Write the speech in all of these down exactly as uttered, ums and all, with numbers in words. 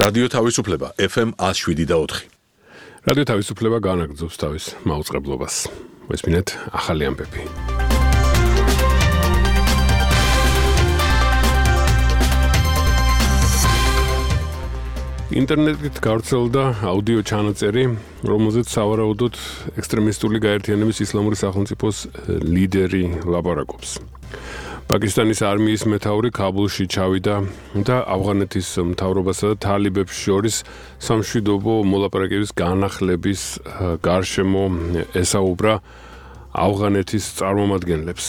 რადიო თავისუფლება ეფ ემ one oh seven და four. რადიო თავისუფლება განაგრძობს თავის მაუწყებლობას. მესმინეთ ახალი ამბები. ინტერნეტით გავრცელდა აუდიო ჩანაწერი, რომელზეც სავარაუდოდ ექსტრემისტული გაერთიანების ისლამური სახელმწიფოს ლიდერი ლაპარაკობს. პაკისტანის არმიის მეთაური ქაბულში ჩავიდა და ავღანეთის მთავრობასა და თალიბებს შორის სამშვიდობო მოლაპარაკების განახლების გარშემო ესაუბრა ავღანეთის წარმომადგენლებს.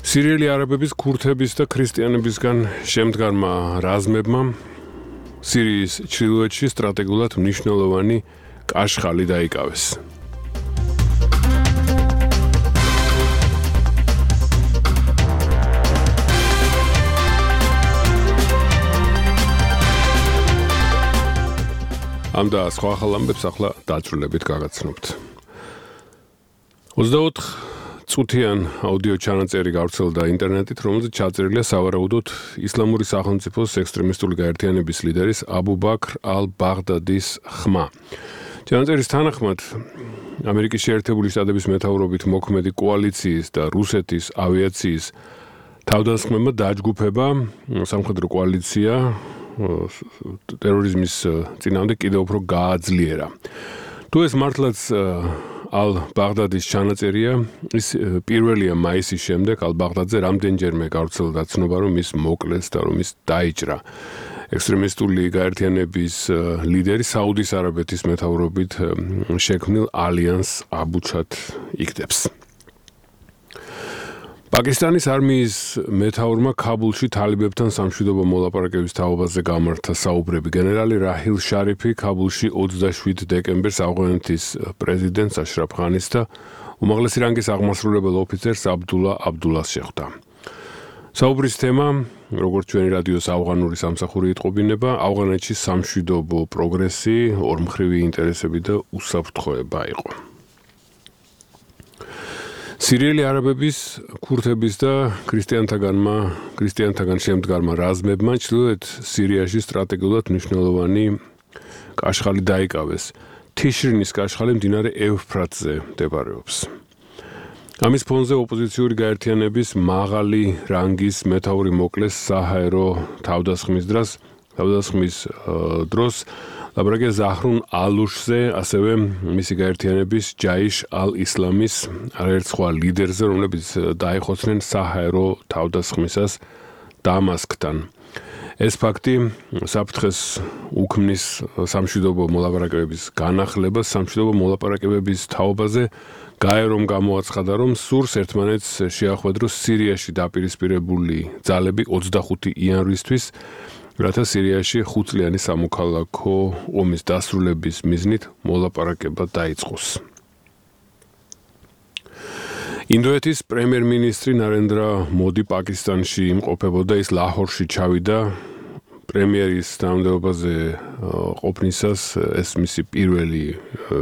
სირიელი არაბების, ქურთების და ქრისტიანებისგან შემდგარმა რაზმებმა სირიის ჩრდილოეთში სტრატეგიულად მნიშვნელოვანი კაშხალი დაიკავეს. ამ და სხვა ახალ ამბებს ახლა დაწვრილებით გაგაცნობთ. ოცდაოთხ წუთიან აუდიო ჩანაწერი გავრცელდა ინტერნეტით, რომელზეც ჩაწერილია სავარაუდოდ ისლამური სახელმწიფოს ექსტრემისტული გაერთიანების ლიდერის აბუ ბაქრ ალ-ბაღდადის ხმა. ჩანაწერის თანახმად, ამერიკის შეერთებული შტატების მეთაურობით მოქმედი კოალიციის და რუსეთის ავიაციის თავდამსხმელებმა დაჯგუფება სამხედრო კოალიცია ტერორიზმის წინააღმდეგ კიდევ უფრო გააძლიერა. თუ ეს მართლაც ალ-ბაღდადის ჩანაწერია, ის პირველია მაისის შემდეგ ალ-ბაღდადზე რამდენჯერმე გავრცელდა ცნობა, რომ ის მოკლეს და რომ ის დაიჭრა. ექსტრემისტული გაერთიანების ლიდერი საუდის არაბეთის მეთაურობით შექმნილ ალიანს აბუჩად იქნებს. პაკისტანის არმიის მეთაურმა ქაბულში თალიბებთან სამშვიდობო მოლაპარაკების თაობაზე გამართა საუბრები. გენერალი რაჰილ შარიფი ქაბულში ოცდაშვიდ დეკემბერს ავღანეთის პრეზიდენტს აშრაფ ღანის და უმაღლესი რანგის აღმასრულებელ ოფიცერს აბდულა აბდულას შეხვდა. საუბრის თემა, როგორც ჩვენი რადიოს ავღანური სამსახური იტყობინება, ავღანეთში სამშვიდობო პროგრესი, ორმხრივი ინტერესები და უსაფრთხოება იყო. სირიელი არაბების, ქურთების და ქრისტიანთაგანმა, ქრისტიანთაგან შემდგარმა რაზმებმა ჩრდილოეთ სირიაში სტრატეგიულად მნიშვნელოვანი კაშხალი დაიკავეს. თიშრინის კაშხალი მდინარე ევფრატზე მდებარეობს. ამის ფონზე ოპოზიციური გაერთიანების მაღალი რანგის მეთაური მოკლეს საჰაერო თავდასხმის დროს, თავდასხმის დროს ლაპარაკია ზაჰრუნ ალუშზე, ასევე მისი გაერთიანების ჯაიშ ალ-ისლამის არაერთ სხვა ლიდერზე, რომლებიც დაიხოცნენ საჰაერო თავდასხმისას დამასკთან. ეს ფაქტი საფრთხეს უქმნის სამშვიდობო მოლაპარაკებების განახლებას, სამშვიდობო მოლაპარაკებების თაობაზე გაერომ გამოაცხადა, რომ სურს ერთმანეთს შეახვედროს სირიაში დაპირისპირებული ძალები ოცდახუთი იანვრისთვის, რათა სირიაში ხუთწლიანი სამოქალაქო ომის დასრულების მიზნით მოლაპარაკება დაიწყოს. ინდოეთის პრემიერ-მინისტრი ნარენდრა მოდი პაკისტანში იმყოფებოდა, ის ლაჰორში ჩავიდა პრემიერის თანამდებობაზე ყოფნისას, ეს მისი პირველი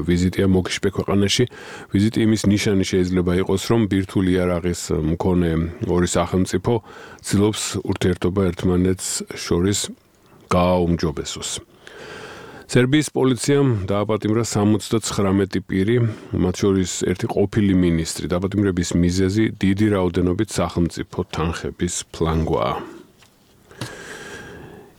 ვიზიტია მოგიშპე ქვეყანაში. ვიზიტი იმის ნიშანი შეიძლება იყოს, რომ ბირთვული იარაღის მქონე ორი სახელმწიფო ცდილობს ურთიერთობა ერთმანეთს შორის გააუმჯობესოს. სერბიის პოლიციამ დააპატიმრა სამოცდაცხრამეტი პირი, მათ შორის ერთი ყოფილი მინისტრი. დაპატიმრების მიზეზი დიდი რაოდენობით სახელმწიფო თანხების ფლანგვაა.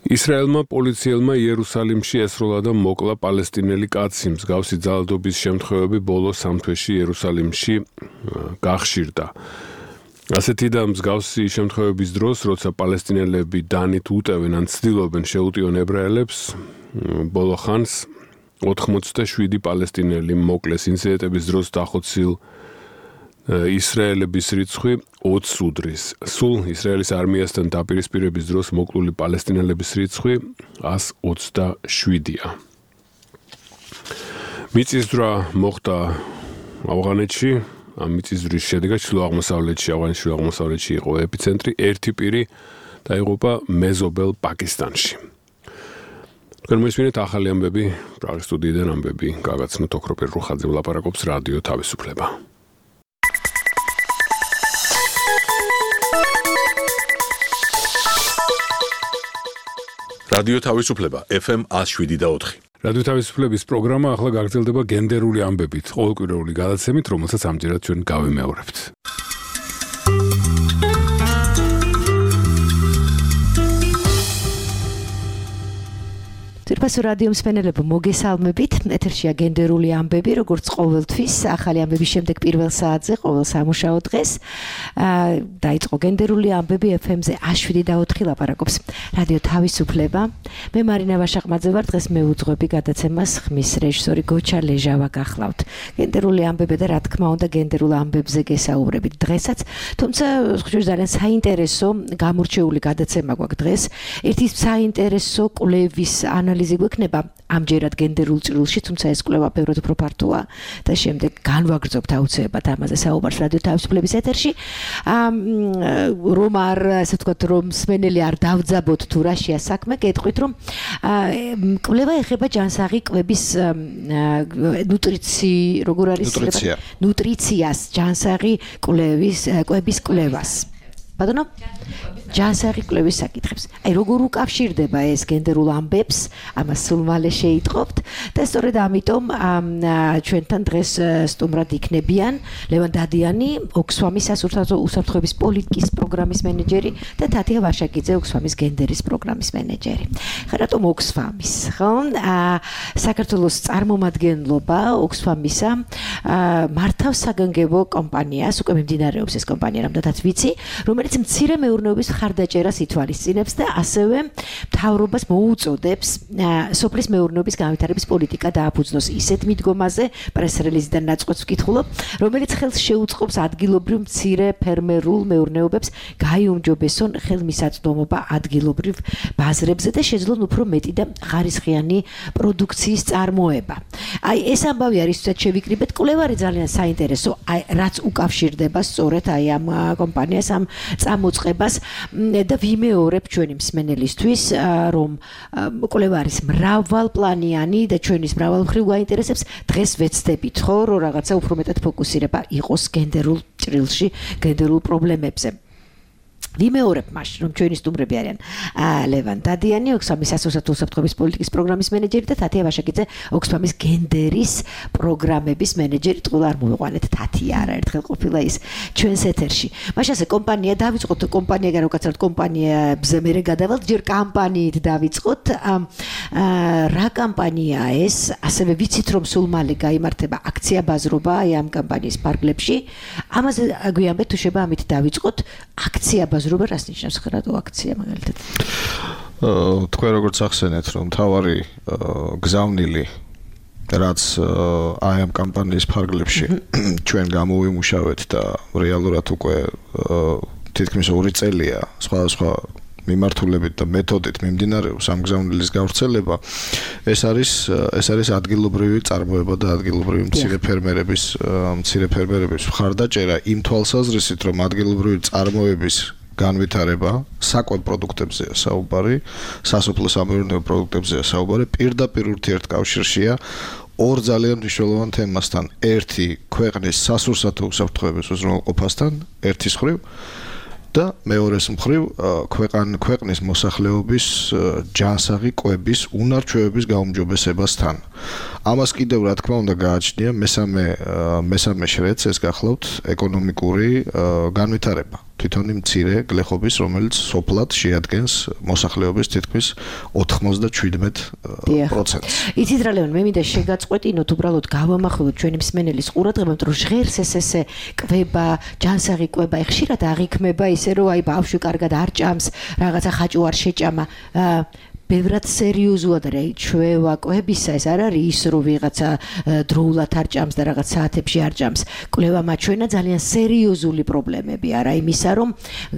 ისრაელმა პოლიციელმა იერუსალიმში ესროლა და მოკლა პალესტინელი კაცი. მსგავსი ძალადობის შემთხვევები ბოლო სამ თვეში იერუსალიმში გახშირდა. ასეთი და მსგავსი შემთხვევების დროს, როცა პალესტინელები დანით უტევენ ან ცდილობენ შეუტიონ ებრაელებს, ბოლო ხანს ოთხმოცდაშვიდი პალესტინელი მოკლეს. ინციდენტების დროს დახოცილ ისრაელების რიცხვი ოცს უდრის. სულ ისრაელის არმიასთან დაპირისპირების დროს მოკლული პალესტინელების რიცხვი ას ოცდაშვიდია. მიწისძვრა მოხდა ავღანეთში. ამ მიწისძვრის შედეგად ჩრდილო-აღმოსავლეთში, ავღანის ჩრდილო-აღმოსავლეთში იყო ეპიცენტრი. ერთი პირი დაიღუპა მეზობელ პაკისტანში. თქვენ მოისმინეთ ახალი ამბები, პრაღის სტუდიიდან ამბები გაგაცნოთ ოქროპირ რუხაძე ვლაპარაკობს რადიო თავისუფლება. რადიო თავისუფლება ეფ ემ one oh seven და four. რადიო თავისუფლების პროგრამა ახლა გაგრძელდება გენდერული ამბებით, ყოველკვირეული გადაცემით, რომელსაც ამჯერად ჩვენ გავიმეორებთ. Თირფასო რადიო მსმენელებო, მოგესალმებით. ეთერშია გენდერული ამბები, როგორც ყოველთვის, ახალი ამბების შემდეგ პირველ საათზე, ყოველ სამუშაო დღეს. დაიწყო გენდერული ამბები ეფ ემ-ზე one oh seven და four ლაპარაკობს რადიო თავისუფლება. მე მარინა ვაშაყმაძე ვარ, დღეს მეუძღვები გადაცემას, ხმის რეჟისორი გოჩა ლეჟავა გახლავთ. გენდერული ამბები და რა თქმა უნდა გენდერულ ამბებზე გესაუბრებით დღესაც, თუმცა ხშირ ძალიან საინტერესო გამორჩეული გადაცემა გვაქვს დღეს. ერთი საინტერესო კვლევის ანალიზი გვექნება ამჯერად გენდერულ ჭრილში, თუმცა ეს კვლევა ბევრად უფრო ფართოა და შემდეგ განვაგრძობთ აუცილებლად ამაზე საუბარს რადიო თავისუფლების ეთერში. რომ არ, ასე ვთქვათ, რომ მსმენელი არ დავძაბოთ თუ რა შეა საქმე, გეტყვით, რომ კვლევა ეხება ჯანსაღი კვების ნუტრიცი, როგორ არის ნუტრიცია. ნუტრიციას, ჯანსაღი კვლევის კვების კვლევას. ბატონო, ჯანსაღი კვლევის საკითხებს. აი, როგორ უკავშირდება ეს გენდერულ ამბებს, ამას სულ მალე შეიტყობთ და სწორედ ამიტომ ჩვენთან დღეს სტუმრად იქნებიან ლევან დადიანი, ოქსფამის სასურსათო უსაფრთხოების პოლიტიკის პროგრამის მენეჯერი და თათია ვაშაკიძე, ოქსფამის გენდერის პროგრამის მენეჯერი. ხა რატომ ოქსფამის, ხო? საქართველოს წარმომადგენლობა ოქსფამისა მართავს საგანგებო კომპანიას, უკვე მიმდინარეობს ეს კომპანია, რამდენადაც ვიცი, რომელიც მცირე მეურნეობის ხარდაჭერას ითვალისწინებს და ასევე მთავრობას მოუწოდებს სოფლის მეურნეობის განვითარების პოლიტიკა დააფუძნოს ისეთ მიდგომაზე, პრეს-რელიზიდან ნაწყვეტს ვკითხულობ, რომელიც ხელს შეუწყობს ადგილობრივ მცირე ფერმერულ მეურნეობებს გაიუმჯობესონ ხელმისაწვდომობა ადგილობრივ ბაზრებზე და შეძლონ უფრო მეტი და ხარისხიანი პროდუქციის წარმოება. აი, ეს ამბავი არის, თუნდაც შევიკრიბეთ, კვლევა არის ძალიან საინტერესო, აი, რაც უკავშირდება სწორედ აი ამ კომპანიას, ამ წამოწყებას და ვიმეორებ ჩვენი მსმენელისთვის, რომ კვლევა არის მრავალპლანიანი და ჩვენის მრავალმხრივ გაინტერესებს, დღეს ვეცდებით, ხო, რომ რაღაცა უფრო მეტად ფოკუსირება იყოს გენდერულ ჭრილში, გენდერულ პრობლემებზე. ვიმეორებ მაშინ, რომ ჩვენი სტუმრები არიან ლევან დადიანი, ოქსფამის სასურსათო უსაფრთხოების პოლიტიკის პროგრამის მენეჯერი და თათია ვაშაკიძე, ოქსფამის გენდერის პროგრამების მენეჯერი. ტყუილ არ მოვიყვანეთ თათია, არაერთხელ ყოფილა ის ჩვენს ეთერში. მაშინ ასე კომპანია დავიწყოთ, კომპანია გარო კაცად კომპანიებზე მერე გადავალთ, ჯერ კამპანიით დავიწყოთ. რა კამპანიაა ეს? ასევე ვიცით, რომ სულ მალე გაიმართება აქცია ბაზრობა აი ამ კამპანიის ფარგლებში. ამაზე გვიამბეთ, თუ შეიძლება ამით დავიწყოთ. აქცია ბაზრობა რას ნიშნავს ხარატო აქცია მაგალითად? თქვენ როგორც ახსენეთ, რომ თავარი გზავნილი რაც აი ამ კამპანიის ფარგლებში ჩვენ გამოვიმუშავეთ და რეალურად უკვე თითქმის ორი წელია სხვადასხვა მიმართულებით და მეთოდით მიმდინარეობს ამ გზავნილის გავრცელება. ეს არის ეს არის ადგილობრივი წარმოება და ადგილობრივი მცირე ფერმერების მცირე ფერმერების მხარდაჭერა იმ თვალსაზრისით, რომ ადგილობრივი წარმოების განვითარება, საკვებ პროდუქტებზეა საუბარი, სასოფლო სამეურნეო პროდუქტებზეა საუბარი, პირდაპირ ურთიერთკავშირშია ორ ძალიან მნიშვნელოვან თემასთან. ერთი ქვეყნის სასურსათო უსაფრთხოების უზრუნველყოფასთან, ერთის მხრივ და მეორეს მხრივ ქვეყან ქვეყნის მოსახლეობის ჯანსაღი კვების უნარჩვევების გაუმჯობესებასთან. ამას კიდევ რა თქმა უნდა გააჩნია მესამე მესამე შრეც, ეს გახლავთ ეკონომიკური განვითარება. თვითონი მცირე გლეხობის, რომელიც სოფლად შეადგენს მოსახლეობის თითქმის ოთხმოცდაშვიდმეტ პროცენტს. იცით რა ლევან, მე მინდა შეგაწყვეტინოთ, უბრალოდ გავამახვილოთ ჩვენი მსმენელის ყურადღება, რომ ჟღერს ეს ესე კვება, ჯანსაღი კვება, ხშირად აღიქმება ისე, რომ აი ბავშვი კარგად არ ჭამს, რაღაცა ხაჭო არ შეჭამა. ბევრად სერიოზულად რა ჩვევა კვებისა, ეს არ არის ის, რომ ვიღაცა დროულად არ ჭამს და რაღაც საათებში არ ჭამს. კვლევა მაჩვენა ძალიან სერიოზული პრობლემები არა იმისა, რომ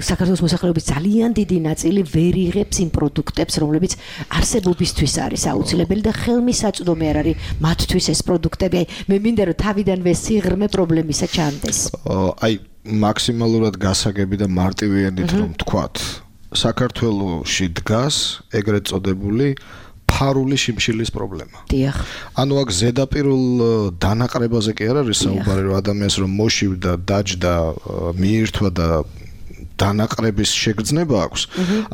საქართველოს მოსახლეობის ძალიან დიდი ნაწილი ვერ იღებს იმ პროდუქტებს, რომლებიც არსებობისთვის არის აუცილებელი და ხელმისაწვდომი არ არის მათთვის ეს პროდუქტები. აი, მე მინდა რომ თავიდანვე სიღრმე პრობლემისა ჩანდეს. აი, მაქსიმალურად გასაგები და მარტივიანით რომ თქვათ, საქართველოში დგას ეგრეთ წოდებული ფარული შიმშილის პრობლემა. დიახ. ანუ აქ ზედაპირულ დანაყრებაზე კი არ არის საუბარი, რომ ადამიანს რომ მოშივდა, დაჯდა, მიირთვა და დანაყრების შეგრძნება აქვს,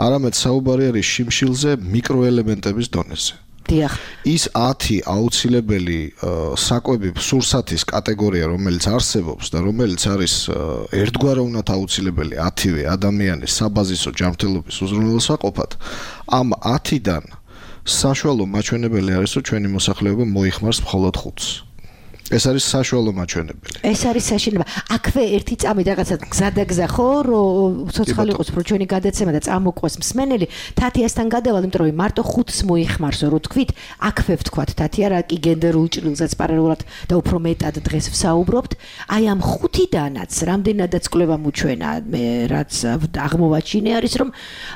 არამედ საუბარი არის შიმშილზე მიკროელემენტების დონეზე. ის ათი აუცილებელი საკვები სურსათის კატეგორია, რომელიც არსებობს და რომელიც არის ერთგვაროვნად აუცილებელი ათივე ადამიანის საბაზისო ჯანმრთელობის უზრუნველსაყოფად, ამ ათიდან საშუალო მაჩვენებელი არის, რომ ჩვენი მოსახლეობა მოიხმარს მხოლოდ ხუთს. ეს არის საშუალო მაჩვენებელი. ეს არის საშინება. აქვე ერთი წამი რაღაცა გზადაგზა ხო, რომ ცოცხალი იყოს, რომ ჩვენი გადაცემა და წამოყვეს მსმენელი, თათიასთან გადავალ, იმიტომ რომ მარტო ხუთს მოიხმარსო, რო თქვით, აქვე ვთქვათ, თათია რა კი გენდერულ ჭრილზეც პარალელურად და უფრო მეტად დღეს ვსაუბრობთ, აი ამ ხუთიდანაც რამდენადაც კვლევა მოჩვენა, მე რაც აღმოვაჩინე არის, რომ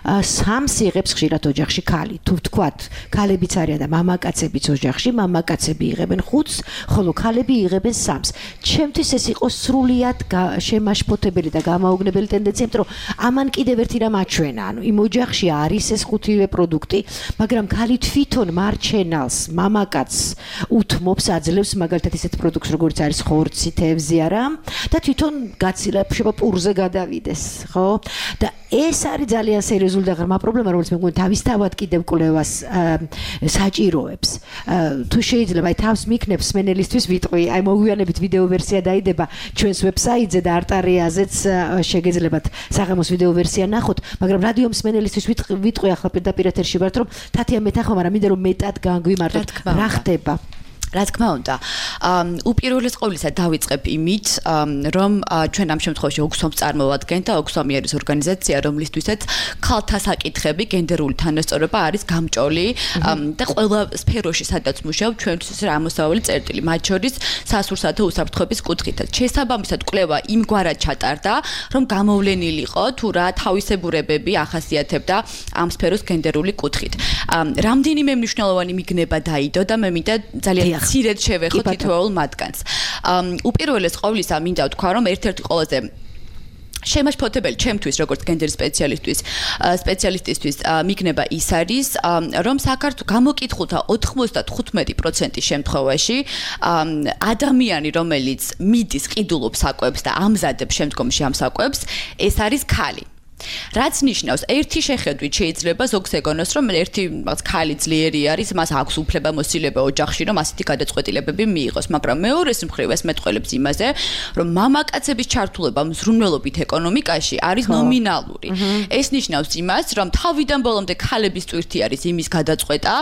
სამს იღებს ხშირად ოჯახში ქალი. თუ ვთქვათ, ქალებიც არიან და მამაკაცებიც ოჯახში, მამაკაცები იღებენ ხუთს, ხოლო ქალები იღებენ სამს. ჩემთვის ეს იყო სრულიად შემაშფოთებელი და გამაოგნებელი ტენდენცია, იმიტომ რომ ამან კიდევ ერთი რამ აჩვენა, ანუ იმ ოჯახში არის ეს ხუთივე პროდუქტი, მაგრამ ქალი თვითონ მარჩენალს, მამაკაცს უთმობს, აძლევს მაგალითად ისეთ პროდუქტს, როგორც არის ხორცი, თევზი არა, და თვითონ გაცილება პურზე გადავიდეს, ხო? და ეს არის ძალიან სერიოზული და ღრმა პრობლემა, რომელიც მე მგონი თავისთავად კიდევ კვლევას საჭიროებს. თუ შეიძლება აი თავს მიქნებს სმენელისთვის ვიტყვი, აი მოგვიანებით ვიდეო ვერსია დაიდება ჩვენს ვებსაიტზე და არტარიაზეც შეგეძლებათ საღამოს ვიდეო ვერსია ნახოთ, მაგრამ რადიო მსმენელისთვის ვიტყვი ახლა პირდაპირ ეთერში ვართ, რომ თათია მეთახმა, მაგრამ მინდა რომ მეტად განგვიმარტოთ რა ხდება. რა თქმა უნდა, უპირველეს ყოვლისა დავიწყებ იმით, რომ ჩვენ ამ შემთხვევაში ოქსფამს წარმოვადგენთ და ოქსფამი არის ორგანიზაცია, რომლისთვისაც ქალთა საკითხები, გენდერული თანასწორობა არის გამჭოლი და ყველა სფეროში, სადაც მუშაობ, ჩვენთვის რა ამოსავალი წერტილი, მათ შორის სასურსათო უსაფრთხოების კუთხითაც. შესაბამისად, კვლევა იმგვარად ჩატარდა, რომ გამოვლენილიყო თუ რა თავისებურებები ახასიათებდა ამ სფეროს გენდერული კუთხით. რამდენიმე მნიშვნელოვანი მიგნება დაიდო და მე მინდა ძალიან ცირედ შევეხოთ თითოეულ მათგანს. უპირველეს ყოვლისა მინდა ვთქვა, რომ ერთ-ერთი ყველაზე შემაშფოთებელი ჩემთვის როგორც გენდერ სპეციალისტვის სპეციალისტისთვის მიგნება ის არის, რომ საქართველოს გამოკითხულთა ოთხმოცდათხუთმეტი პროცენტის შემთხვევაში ადამიანი, რომელიც მიდის ყიდულობს საკვებს და ამზადებს შემდგომში ამ საკვებს, ეს არის ქალი. რაც ნიშნავს, ერთი შეხედვით შეიძლება ზოგს ეგონოს, რომ ერთი ქალი ძლიერი არის, მას აქვს უფლება მოსილება ოჯახში, რომ ასეთი გადაწყვეტილებები მიიღოს, მაგრამ მეორეს მხრივ ეს მეტყველებს იმაზე, რომ მამაკაცების ჩართულობა მზრუნველობით ეკონომიკაში არის ნომინალური. ეს ნიშნავს იმას, რომ თავიდან ბოლომდე ქალების ტვირთი არის იმის გადაწყვეტა,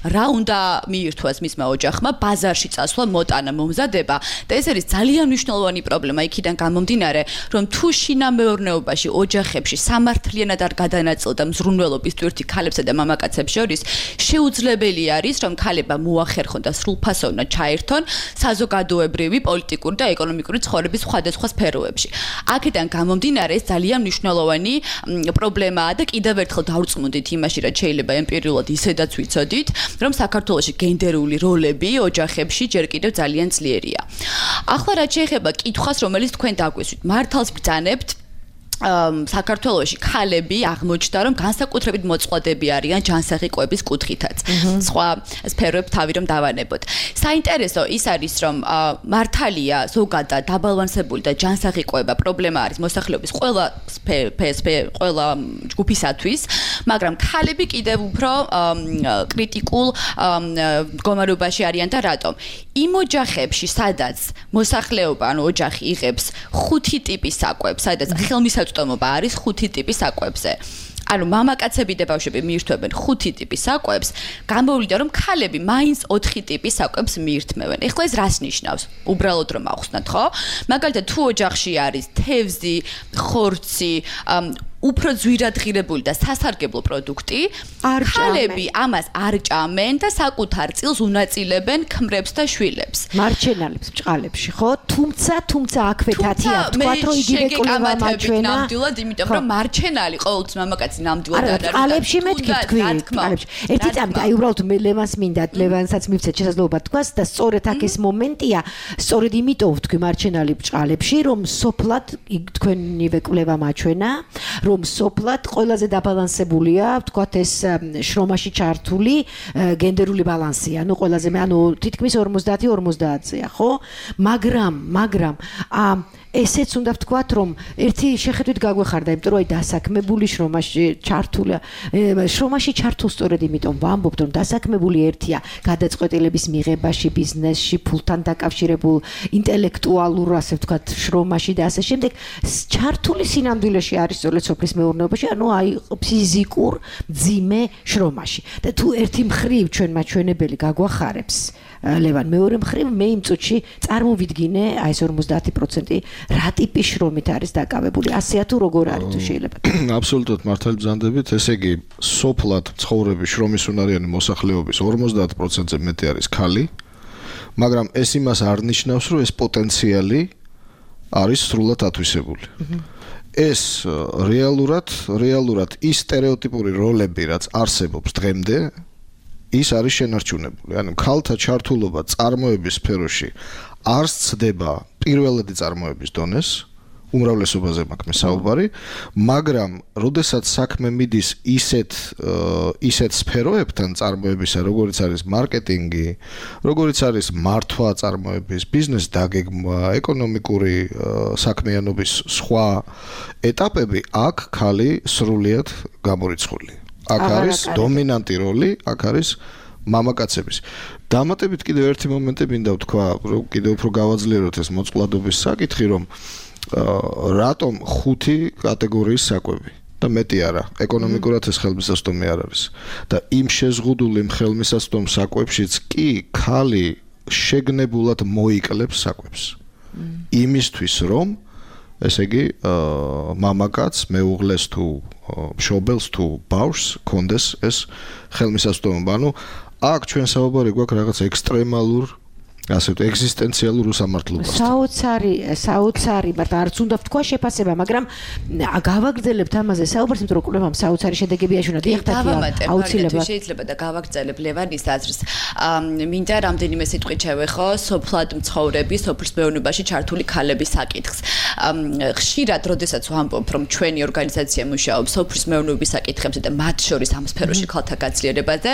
რა უნდა მიირთვას მისმა ოჯახმა, ბაზარში წასვლა, მოტანა, მომზადება და ეს არის ძალიან მნიშვნელოვანი პრობლემა იქიდან გამომდინარე, რომ თუ შინამეურნეობაში, ოჯახებში სამართლიანად არ გადანაწილდა მზრუნველობის ტვირთი ქალებსა და მამაკაცებს შორის, შეუძლებელი არის, რომ ქალებმა მოახერხონ და სრულფასოვნად ჩაერთონ საზოგადოებრივი, პოლიტიკური და ეკონომიკური ცხოვრების სხვადასხვა სფეროებში. აქედან გამომდინარე, ეს ძალიან მნიშვნელოვანი პრობლემაა და კიდევ ერთხელ დავწმუნდით იმაში, რაც შეიძლება ემპირიულად ისედაც ვიცოდით, რომ საქართველოში გენდერული როლები ოჯახებში ჯერ კიდევ ძალიან ძლიერია. ახლა რაც შეეხება კითხვას, რომელიც თქვენ დაგვესვით, მართალს ბრძანებთ საქართველოში ქალები აღმოჩნდა, რომ განსაკუთრებით მოწყვლადები არიან ჯანსაღი კვების კუთხითაც. სხვა სფეროებ თავი რომ დავანებოთ. საინტერესო ის არის, რომ მართალია ზოგადად დაბალანსებული და ჯანსაღი კვება პრობლემა არის მოსახლეობის ყველა ყველა ჯგუფისათვის, მაგრამ ქალები კიდევ უფრო კრიტიკულ მდგომარეობაში არიან და რატომ? იმ ოჯახებში, სადაც მოსახლეობა, ანუ ოჯახი იღებს ხუთი ტიპის საკვებს, სადაც ხელმისაწვდომობა არის ხუთი ტიპის საკვებზე. ანუ მამაკაცები და ბავშვები მიირთმევენ ხუთი ტიპის საკვებს, გამოვლინდა რომ ქალები მაინც ოთხი ტიპის საკვებს მიირთმევენ. ეხლა ეს რას ნიშნავს? უბრალოდ რომ ავხსნათ, ხო? მაგალითად, თუ ოჯახში არის თევზი, ხორცი, უფრო ძვირად ღირებული და სასარგებლო პროდუქტი, ქალები ამას არ ჭამენ და საკუთარ წილს უნაწილებენ ქმრებს და შვილებს. მარჩენალებს ბჭყალებში, ხო? თუმცა, თუმცა აქვე თათია, თქვა რომ იგივე კვლევა მაჩვენა. ნამდვილად, იმიტომ რომ მარჩენალი ყოველთვის მამაკაცი ნამდვილად არ არის. ბჭყალებში მეთქი თქვი, ბჭყალებში. ერთი წამით, აი უბრალოდ მე ლევანს მინდა, ლევანსაც მივცეთ შესაძლებლობა თქვას და სწორედ აქ ეს მომენტია, სწორედ იმიტომ ვთქვი მარჩენალი ბჭყალებში, რომ სოფლად თქვენივე კვლევა მაჩვენა, რომ სოფლად ყველაზე დაბალანსებულია, ვთქვათ ეს შრომაში ჩართული გენდერული ბალანსია, ანუ ყველაზე მე ანუ თითქმის ორმოცდაათი ორმოცდაათია, ხო? მაგრამ, მაგრამ ესეც უნდა ვთქვათ, რომ ერთი შეხედვით გაგვეხარდა, იმიტომ რომ აი დასაქმებული შრომაში ჩართული შრომაში ჩართულ სწორედ იმიტომ ვამბობთ, რომ დასაქმებული ერთია გადაწყვეტილების მიღებაში, ბიზნესში, ფულთან დაკავშირებულ ინტელექტუალურ, ასე ვთქვათ, შრომაში და ასე შემდეგ, ჩართული სინამდვილეში არის სწორედ სოფლის მეურნეობაში, ანუ აი ფიზიკურ მძიმე შრომაში. და თუ ერთი მხრივ ჩვენ მაჩვენებელი გაგვახარებს ლევან, მეორე მხრივ მე იმ წუთში წარმოვიდგინე აი ეს ორმოცდაათი პროცენტი რა ტიპის შრომით არის დაკავებული. ასეა თუ როგორ არის თუ შეიძლება. აბსოლუტურად მართალი ბრძანდებით, ესე იგი სოფლად ცხოვრების შრომის უნარიანი მოსახლეობის ორმოცდაათ პროცენტზე მეტი არის ქალი, მაგრამ ეს იმას არ ნიშნავს, რომ ეს პოტენციალი არის სრულად ათვისებული. ეს რეალურად, რეალურად ის სტერეოტიპური როლები, რაც არსებობს დღემდე, ის არის შენარჩუნებული. ანუ ქალთა ჩართულობა წარმოების სფეროში არ სცდება პირველადი წარმოების დონეს, უმრავლესობაზე მაქვს მე საუბარი, მაგრამ როდესაც საქმე მიდის ისეთ ისეთ სფეროებთან წარმოებისა, როგორიც არის მარკეტინგი, როგორიც არის მართვა წარმოების, ბიზნეს დაგეგმვა, ეკონომიკური საქმიანობის სხვა ეტაპები, აქ ქალი სრულიად გამორიცხული. აქ არის დომინანტი როლი, აქ არის მამაკაცების. დამატებით კიდევ ერთი მომენტი მინდა ვთქვა, რომ კიდევ უფრო გავაძლიეროთ ეს მოწყვლადობის საკითხი, რომ რატომ ხუთი კატეგორიის საკვები და მეტი არა, ეკონომიკურად ეს ხელმისაწვდომი არ არის. და იმ შეზღუდული ხელმისაწვდომ საკვებშიც კი ქალი შეგნებულად მოიკლებს საკვებს. იმისთვის რომ ესე იგი მამაკაც მეუღლეს თუ მშობელს თუ ბავშვს კონდეს ეს ხელმისაწვდომობა. ანუ აქ ჩვენ საუბარი გვაქვს რაღაც ექსტრემალურ ასე ვთქვათ, ეგზისტენციალურ უსამართლობას. საოცარი, საოცარი, მაგრამ არც უნდა ვთქვა შეფასება, მაგრამ გავაგრძელებთ ამაზე საუბარს, იმიტომ რომ კვლევამ საოცარი შედეგები აშუნა. დავამატებ, აუცილებლად შეიძლება და გავაგრძელებ ლევანის აზრს. მინდა რამდენიმე სიტყვით შევეხო სოფლად მცხოვრები, სოფლის მეურნეობაში ჩართული ქალების საკითხს. ხშირად, როდესაც ვამბობ, რომ ჩვენი ორგანიზაცია მუშაობს სოფლის მეურნეობის საკითხებზე და მათ შორის ამ სფეროში ქალთა გაცილიერებაზე,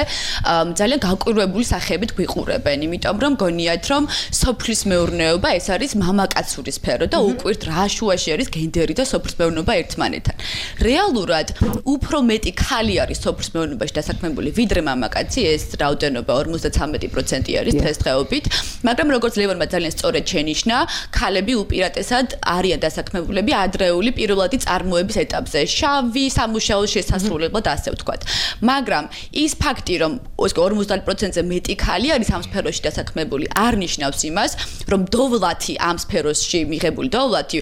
ძალიან გაკვირვებული სახეებით გვიყურებენ, იმიტომ რომ გონიათ რომ სოფლის მეურნეობა ეს არის მამაკაცური სფერო და უკვირთ რა შუაში არის გენდერი და სოფლის მეურნეობა ერთმანეთთან. რეალურად უფრო მეტი ქალი არის სოფლის მეურნეობაში დასაქმებული ვიდრე მამაკაცი, ეს რაოდენობა ორმოცდათვრამეტი პროცენტი არის დღესდღეობით, მაგრამ როგორც ლევანმა ძალიან სწორედ შენიშნა, ქალები უპირატესად არიან დასაქმებულები ადრეული პირველადი წარმოების ეტაპზე, შავი სამუშაო შესასრულებლად ასე ვთქვათ. მაგრამ ის ფაქტი, რომ ორმოცდაათი პროცენტზე მეტი ქალი არის ამ სფეროში დასაქმებული, არ ნიშნავს იმას, რომ დოვლათი ამ სფეროში მიღებული დოვლათი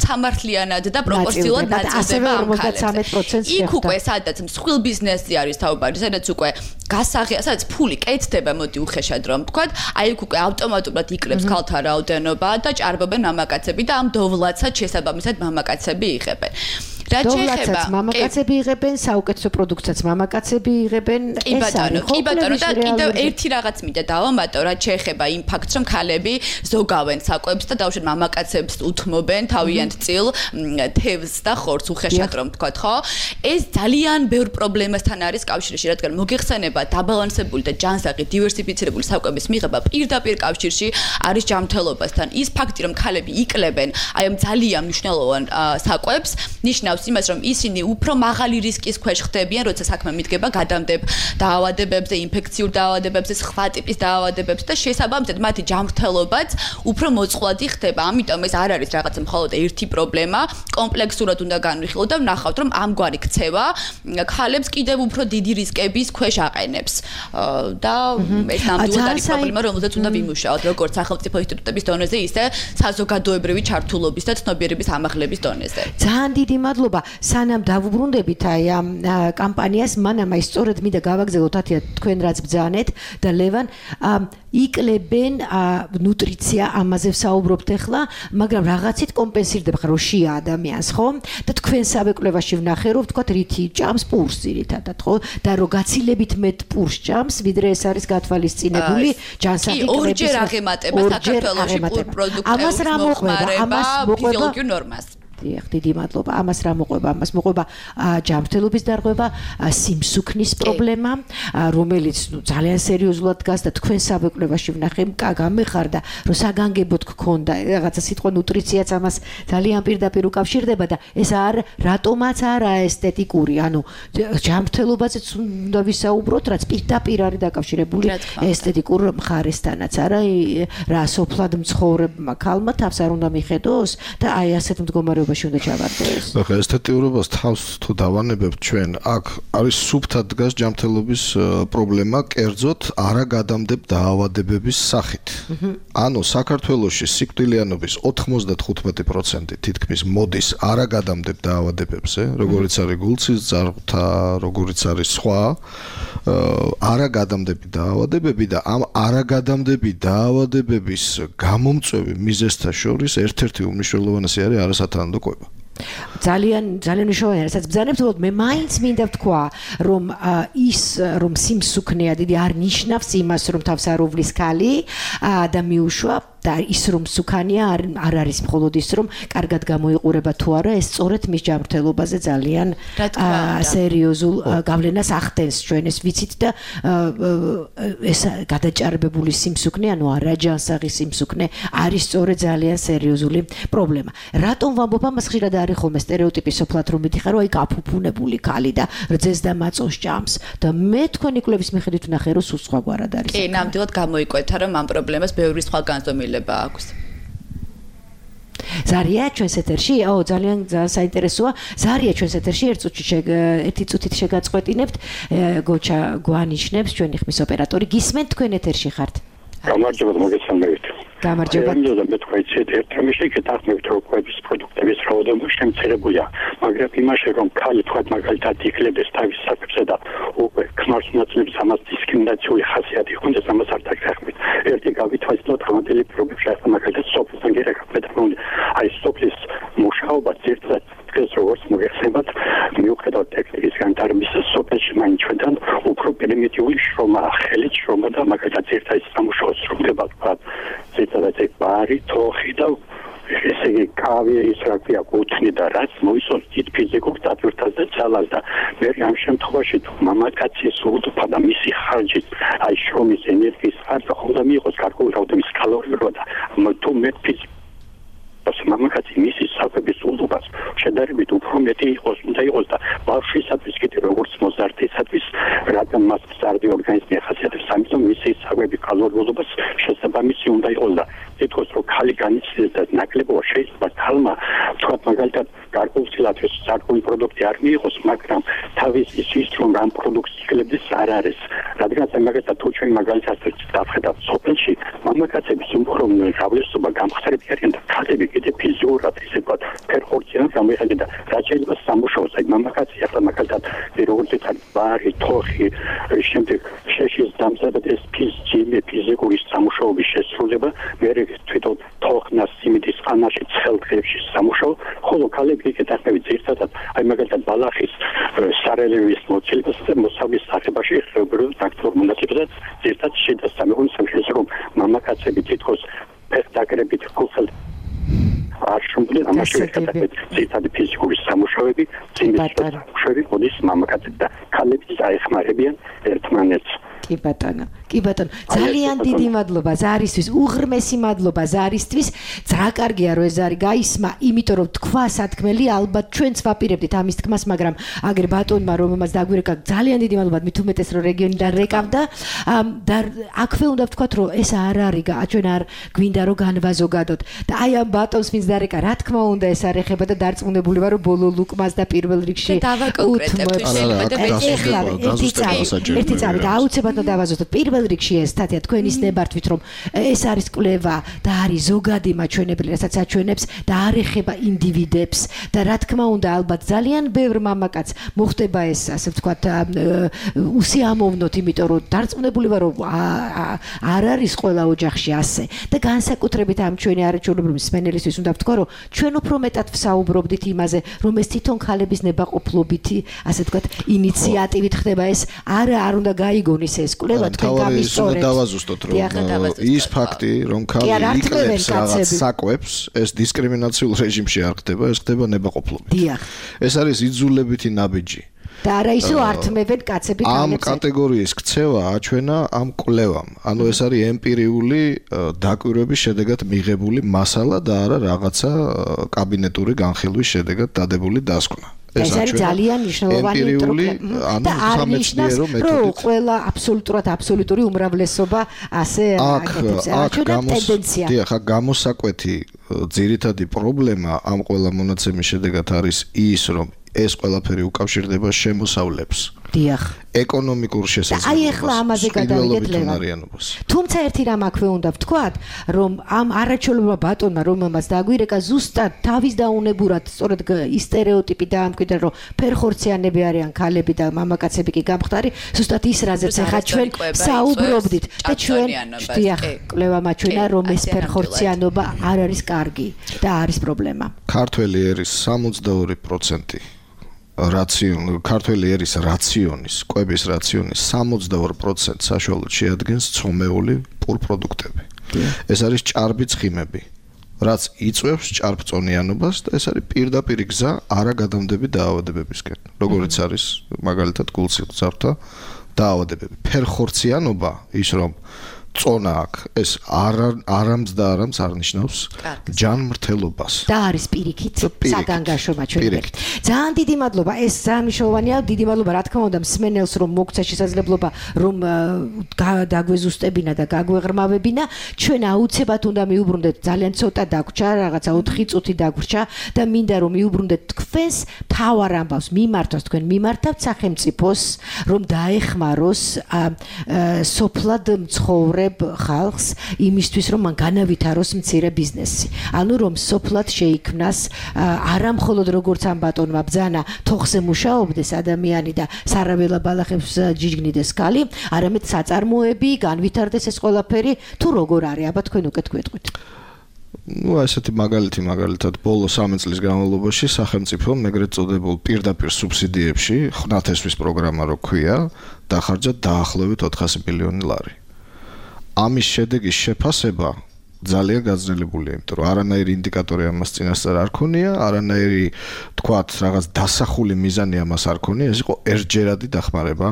სამართლიანად და პროპორციულად ნაწილდება ამ ქალებზე. იქ უკვე სადაც მსხვილ ბიზნესზე არის თაობარი, სადაც უკვე გასაღია, სადაც ფული კეთდება, მოდი უხეშად რომ ვთქვათ, აი იქ უკვე ავტომატურად იკლებს ქალთა რაოდენობა და ჭარბობენ მამაკაცები და ამ დოვლათსაც შესაბამისად მამაკაცები იღებენ. დოვლათსაც მამაკაცები იღებენ, საუკეთესო პროდუქტსაც მამაკაცები იღებენ. კი ბატონო, კი ბატონო და კიდევ ერთი რაღაც მინდა დავამატო, რაც შეეხება იმ ფაქტს, რომ ქალები ზოგავენ საკვებს და დაუშვათ მამაკაცებს უთმობენ თავიანთ წილ თევზს და ხორცს უხეშად რომ ვთქვათ, ხო? ეს ძალიან ბევრ პრობლემასთან არის კავშირში, რადგან მოგეხსენება დაბალანსებული და ჯანსაღი დივერსიფიცირებული საკვების მიღება პირდაპირ კავშირში არის ჯანმრთელობასთან. ის ფაქტი, რომ ქალები იკლებენ აი ამ ძალიან მნიშვნელოვან საკვებს, ნიშნავს იმას, რომ ისინი უფრო მაღალი რისკის ქვეშ ხდებიან, როცა საქმე მიდგება გადამდებ დაავადებებზე, ინფექციურ დაავადებებზე, სხვა ტიპის დაავადებებზე და შესაბამისად მათი ჯანმრთელობაც უფრო მოწყვლადი ხდება. ამიტომ ეს არ არის რაღაც მხოლოდ ერთი პრობლემა, კომპლექსურად უნდა განვიხილოთ და ვნახავთ, რომ ამგვარი ქცევა ქალებს კიდევ უფრო დიდი რისკების ქვეშ აყენებს. და ეს ნამდვილად არის პრობლემა, რომელზეც უნდა ვიმუშაოთ, როგორც სახელმწიფო ინსტიტუტების დონეზე, ისე საზოგადოებრივი ჩართულობის და ცნობიერების ამაღლების დონეზე. ძალიან დიდი მადლობა. სანამ დავუბრუნდებით აი ამ კამპანიას, მანამ აი სწორედ მინდა გავაგზავნოთ ათია თქვენ რაც ბძანეთ და ლევან იკლებენ ნუტრიცია, ამაზე ვსაუბრობთ ახლა, მაგრამ რაღაცით კომპენსირდება ხარ როშია ადამიანს, ხო? და თქვენ საბეკლევაში ვნახე, რომ ვთქვათ რითი ჭამს პურს ძირითადად, ხო? და რომ გაცილებით მეტ პურს ჭამს, ვიდრე ეს არის გათვალისწინებული ჯანსაღი კრების. კი, ორჯერ აღემატება საქართველოში პურ პროდუქტების მოხმარება ფიზიოლოგიურ ნორმას. დიახ, დიდი მადლობა. ამას რა მოყვება? ამას მოყვება ჯანმრთელობის დარღვევა, სიმსუქნის პრობლემა, რომელიც ნუ ძალიან სერიოზულად დგას და თქვენ საბეკვლებაში ვნახე, გამეხარდა, რომ საგანგებოდ გქონდა რაღაცა სიტყვა ნუტრიციაც ამას ძალიან პირდაპირ უკავშირდება და ეს არ რატომაც არა ესთეტიკური, ანუ ჯანმრთელობაზეც უნდა ვისაუბროთ, რაც პირდაპირ არის დაკავშირებული ესთეტიკურ მხარესთანაც, არა რა სოფლად მცხოვრებმა ქალმა თავს არ უნდა მიხედოს და აი ასეთ მდგომარეობაში უნდა ჩავარდოს. ახლა ესთეტიურობას თავს თუ დავანებებთ ჩვენ, აქ არის სუფთად დგას ჯანმრთელობის პრობლემა, კერძოდ არაგადამდებ დაავადებების სახით. ანუ საქართველოში სიკვდილიანობის ოთხმოცდათხუთმეტი პროცენტი თითქმის მოდის არაგადამდებ დაავადებებზე, როგორიც არის გულწის ძარღვთა, როგორიც არის სხვა არაგადამდები დაავადებები და ამ არაგადამდები დაავადებების გამომწვევი მიზეზთა შორის ერთ-ერთი უმნიშვნელოვანესი არის არასათანადო კვება. ძალიან ძალიან მნიშვნელოვანია, რასაც ბრძანებთ, უბრალოდ მე მაინც მინდა ვთქვა, რომ ის რომ სიმსუქნეა დიდი არ ნიშნავს იმას, რომ თავს არ უვლის ქალი და მიუშვა და ის რომ სუქანია არ არ არის მხოლოდ ის რომ კარგად გამოიყურება თუ არა, ეს სწორედ მის ჯანმრთელობაზე ძალიან სერიოზულ გავლენას ახდენს. ჩვენ ეს ვიცით და ეს გადაჭარბებული სიმსუქნე, ანუ არაჯანსაღი სიმსუქნე არის სწორედ ძალიან სერიოზული პრობლემა. რატომ ვამბობ ამას? ხშირად არის ხოლმე სტერეოტიპი სოფლად რომ მითხრა, რომ აი გაფუფუნებული ქალი და რძეს და მაწონს ჭამს და მე თქვენი კვლევის მიხედვით ვნახე, რომ სულ სხვაგვარად არის. კი, ნამდვილად გამოიკვეთა, რომ ამ პრობლემას ბევრი სხვა განზომილება აქვს. ზარია ჩვენს ეთერში? აო, ძალიან საინტერესოა. ზარია ჩვენს ეთერში ერთ წუთში ერთი წუთით შეგაწყვეტინებთ. გოჩა გვანიშნებს ჩვენი ხმის ოპერატორი. გისმენთ თქვენ ეთერში ხართ? გამარჯობა, მოგესალმებით. გამარჯობა. მე მე თქვა იცით, ერთ რამეში კეთახმევთ რომ კვების პროდუქტების რაოდენობა შემცირებულია, მაგრამ იმაში რომ ქალი თქვა მაგალითად იკლებს თავის საკუთრებსა და უკვე ქმარს ნაცვლებს ამას დისკრიმინაციული ხასიათი ხონდეს, ამას არ დაგახმით. ერთი გავითვალისწინოთ ხმადელი პრობლემა ახლა მაგალითად სოფლთან გერაკეთეთ, აი სოფლის მუშაობა ერთად დღეს როგორც მოგეხსენებათ, მიუხედავად ტექნიკის განვითარების სოფელში მაინც ჩვენთან უფრო პერიმეტიული შრომა, ხელით შრომა და მაგალითად ერთად სამუშაოს შრომდება თქვა, ზედმეტად ეს ბარი, თოხი და ესე იგი კავი ის რა ქვია კუთვნი და რაც მოისურვებს დიდ ფიზიკურ დატვირთვას და ძალას და მე ამ შემთხვევაში თუ მამაკაცის უდფა და მისი ხარჯი აი შრომის ენერგიის ხარჯი ხომ და მიიღოს გარკვეული რაოდენობის კალორიებია და თუ მე ფიზიკ მამაკაცი მისი საკვების უდობას შედარებით უფრო მეტი იყოს უნდა იყოს და ბავშვისათვის კიდე როგორც მოზარდისათვის რადგან მას მზარდი ორგანიზმი ახასიათებს, ამიტომ მისი საკვების კალორიულობას შესაბამისი უნდა იყოს და ეთქოს რომ ქალი განიცდის და ნაკლებობა შეიძლება ქალმა თქვა მაგალითად გარკვეულწილად ეს საკუთარი პროდუქტი არ მიიღოს, მაგრამ თავის ის რომ ამ პროდუქტს იკლებდეს არ არის. რადგან მაგალითად თუ ჩვენ მაგალითად დავხედავთ სოფელში, მამაკაცების უფრო გავრცელება გამხსრები არიან და ქალები კიდე ფიზიურად ისე ვთქვათ, ფერხორციან გამიხადე და რაც შეიძლება სამუშაოს, აი მამაკაცი ახლა მაგალითად როგორც იცით, ბარი, თოხი, შემდეგ შეშის დამზადების ეს ფიზიკური ფიზიკური სამუშაოების შესრულება, მე თვითონ თოხნას სიმინდის ყანაში ცხელდღებში სამუშაო, ხოლო ქალები ეკეთებენ ერთადად, აი მაგალითად ბალახის სარელევის მოცილებას და მოსავლის სახებაში ხეობრივ აქტიურ მონაწილეობას ერთად შედასწამებენ სამშობლოს რომ მამაკაცები თითქოს ფეხდაგრებით ხალხად არ შემდგენ ამაში ეკეთებენ ერთად ფიზიკური სამუშაოები, სიმინდის სამუშაოები, მოდის მამაკაცები და ქალები აეხმარებიან ერთმანეთს. კი ბატონო, კი ბატონო, ძალიან დიდი მადლობა ზარისთვის, უღრმესი მადლობა ზარისთვის. ძრა კარგია რომ ეს ზარი გაისმა, იმიტომ რომ თქვა სათქმელი, ალბათ ჩვენც ვაპირებდით ამის თქმას, მაგრამ აგერ ბატონმა რომ ამას დაგვირეკა, ძალიან დიდი მადლობა, მით უმეტეს რომ რეგიონიდან რეკავდა და აქვე უნდა ვთქვათ რომ ეს არ არის, ჩვენ არ გვინდა რომ განვაზოგადოთ და აი ამ ბატონს ვინც დარეკა, რა თქმა უნდა ეს არ ეხება და დარწმუნებული ვარ რომ ბოლო ლუკმას და პირველ რიგში ერთი წამი და აუცილებლად დავაზუსტოთ პირველ რიგში ეს სტატია თქვენის ნებართვით რომ ეს არის კვლევა და არის ზოგადი მაჩვენებელი, რასაც აჩვენებს და არ ეხება ინდივიდებს და რა თქმა უნდა ალბათ ძალიან ბევრ მამაკაც მოხდება ეს ასე ვთქვათ უსიამოვნოთ, იმიტომ რომ დარწმუნებული ვარ რომ არ არის ყველა ოჯახში ასე და განსაკუთრებით ამ ჩვენი არაჩვეულებრივი მსმენელისთვის უნდა ვთქვა რომ ჩვენ უფრო მეტად ვსაუბრობდით იმაზე რომ ეს თვითონ ქალების ნებაყოფლობითი ასე ვთქვათ ინიციატივით ხდება ეს არა არ უნდა გაიგონის ეს კვლევა თქვენ თავარი უნდა დავაზუსტოთ, რომ ის ფაქტი, რომ ქალი იკლებს რაღაც საკვებს, ეს დისკრიმინაციულ რეჟიმში არ ხდება, ეს ხდება ნებაყოფლობით. ეს არის იძულებითი ნაბიჯი. და არა ისო ართმევენ კაცები ქალებს. ამ კატეგორიის ქცევა აჩვენა ამ კვლევამ. ანუ ეს არის ემპირიული დაკვირვების შედეგად მიღებული მასალა და არა რაღაცა კაბინეტური განხილვის შედეგად დადებული დასკვნა. ეს არის ძალიან მნიშვნელოვანი პრობლემა. და არ ნიშნავს, რომ ყველა აბსოლუტურად აბსოლუტური უმრავლესობა ასე აკეთებს. აჩვენა ტენდენცია. დიახ, აქ გამოსაკვეთი ძირითადი პრობლემა ამ ყველა მონაცემის შედეგად არის ის, რომ ეს ყველაფერი უკავშირდება შემოსავლებს. დიახ. ეკონომიკურ შესაძლებლობას. აი ახლა ამაზე გადავიდეთ ლევან. თუმცა ერთი რამ აქვე უნდა ვთქვათ, რომ ამ არაჩვეულებრივ ბატონმა რომელმაც დაგვირეკა ზუსტად თავის დაუნებურად სწორედ ის სტერეოტიპი დაამკვიდრა, რომ ფერხორციანები არიან ქალები და მამაკაცები კი გამხდარი, ზუსტად ის რაზეც ახლა ჩვენ საუბრობდით და ჩვენ დიახ, კვლევა მაჩვენა, რომ ეს ფერხორციანობა არ არის კარგი და არის პრობლემა. ქართველი ერის სამოცდაორი პროცენტი რაციონი ქართველი ერის რაციონის, კვების რაციონის სამოცდაორ პროცენტს საშუალოდ შეადგენს ცომეული პურპროდუქტები. ეს არის ჭარბი ცხიმები, რაც იწვევს ჭარბწონიანობას და ეს არის პირდაპირ გზა არაგადამდები დაავადებებისკენ. როგორც არის მაგალითად გულსიხსართა დაავადებები. ფერხორციანობა, ის რომ წონა აქვს, ეს არ არამც და არამც არ ნიშნავს ჯანმრთელობას. და არის პირიქით საგანგაშო მაჩვენებელი. ძალიან დიდი მადლობა, ეს ძალიან მნიშვნელოვანია. დიდი მადლობა რა თქმა უნდა მსმენელს, რომ მოგცა შესაძლებლობა, რომ დაგვეზუსტებინა და გაგვეღრმავებინა. ჩვენ აუცილებლად უნდა მიუბრუნდეთ, ძალიან ცოტა დაგვრჩა, რაღაცა ოთხი წუთი დაგვრჩა და მინდა რომ მიუბრუნდეთ თქვენს თავარ ამბავს მიმართოს, თქვენ მიმართავთ სახელმწიფოს, რომ დაეხმაროს სოფლად მცხოვრებ ხალხს იმისთვის, რომ მან განავითაროს მცირე ბიზნესი. ანუ რომ სოფლად შეიქმნას არა მხოლოდ როგორც ამ ბატონმა ბძანა თოხზე მუშაობდეს ადამიანი და სარაველა ბალახებს ჯიჯგნიდეს ქალი, არამედ საწარმოები, განვითარდეს ეს ყველაფერი, თუ როგორ არის, აბა თქვენ უკეთ გვეტყვით. ну ასეთი მაგალითი მაგალითად ბოლო სამი წლის განმავლობაში სახელმწიფომ ეგრეთ წოდებულ პირდაპირ სუბსიდიებში ხნათესვის პროგრამა რო ქვია, დახარჯა დაახლოებით ოთხასი მილიონი ლარი. ამის შედეგის შეფასება ძალიან გაძლებულია, იმიტომ რომ არანაირი ინდიკატორი ამას წინასწარ არ ქონია, არანაირი თქვათ რაღაც დასახული მიზანი ამას არ ქონია, ეს იყო ერთჯერადი დახმარება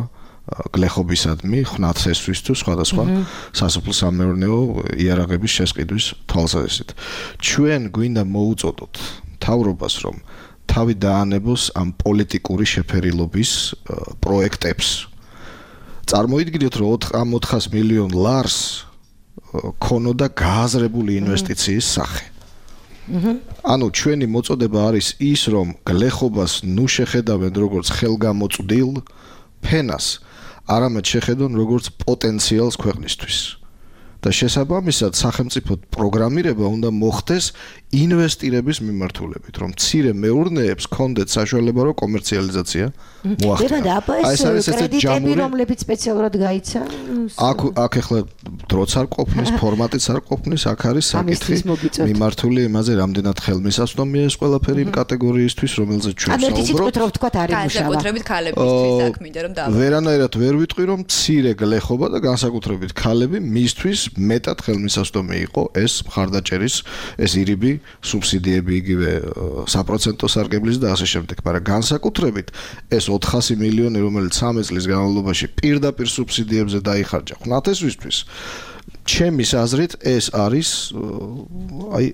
გლეხობისადმი, ხნათესვის თუ სხვადასხვა სასოფლო-სამეურნეო იარაღების შესყიდვის თვალსაზრისით. ჩვენ გვინდა მოუწოდოთ მთავრობას, რომ თავი დაანებოს ამ პოლიტიკური შეფერილობის პროექტებს. წარმოიდგინეთ, რომ ამ ოთხას მილიონ ლარს ქონოდა გააზრებული ინვესტიციის სახე. ანუ ჩვენი მოწოდება არის ის, რომ გლეხობას ნუ შეხედავენ როგორც ხელგამოწვდილ ფენას, არამედ შეხედონ როგორც პოტენციალს ქვეყნისთვის. და შესაბამისად სახელმწიფო პროგრამირება უნდა მოხდეს ინვესტირების მიმართულებით, რომ მცირე მეურნეებს კონდეთ საშუალება რო კომერციალიზაცია მოახდინონ. ეს არის კრედიტები, რომლებიც სპეციალურად გაიცა. აქ აქ ახლა დროც არ ყოფნის, ფორმატიც არ ყოფნის, აქ არის საკითხი მიმართული იმაზე, რამდენად ხელმისაწვდომია ეს ყველაფერი იმ კატეგორიისთვის, რომელზეც ჩვენ საუბრობთ. ანუ ციტყვით რო ვთქვათ, არის მუშაობა. განსაკუთრებით ქალებისთვის აქ მინდა რომ დავაყენო. ვერანაირად ვერ ვიტყვი, რომ მცირე გლეხობა და განსაკუთრებით ქალები მისთვის მეტად ხელმისაწვდომი იყო ეს მხარდაჭერის, ეს ირიბი სუბსიდიები იგივე საპროცენტო სარგებლის და ასე შემდეგ, მაგრამ განსაკუთრებით ეს ოთხასი მილიონი, რომელიც სამი წლის განმავლობაში პირდაპირ სუბსიდიებზე დაიხარჯა ხნათესვისთვის, ჩემის აზრით ეს არის აი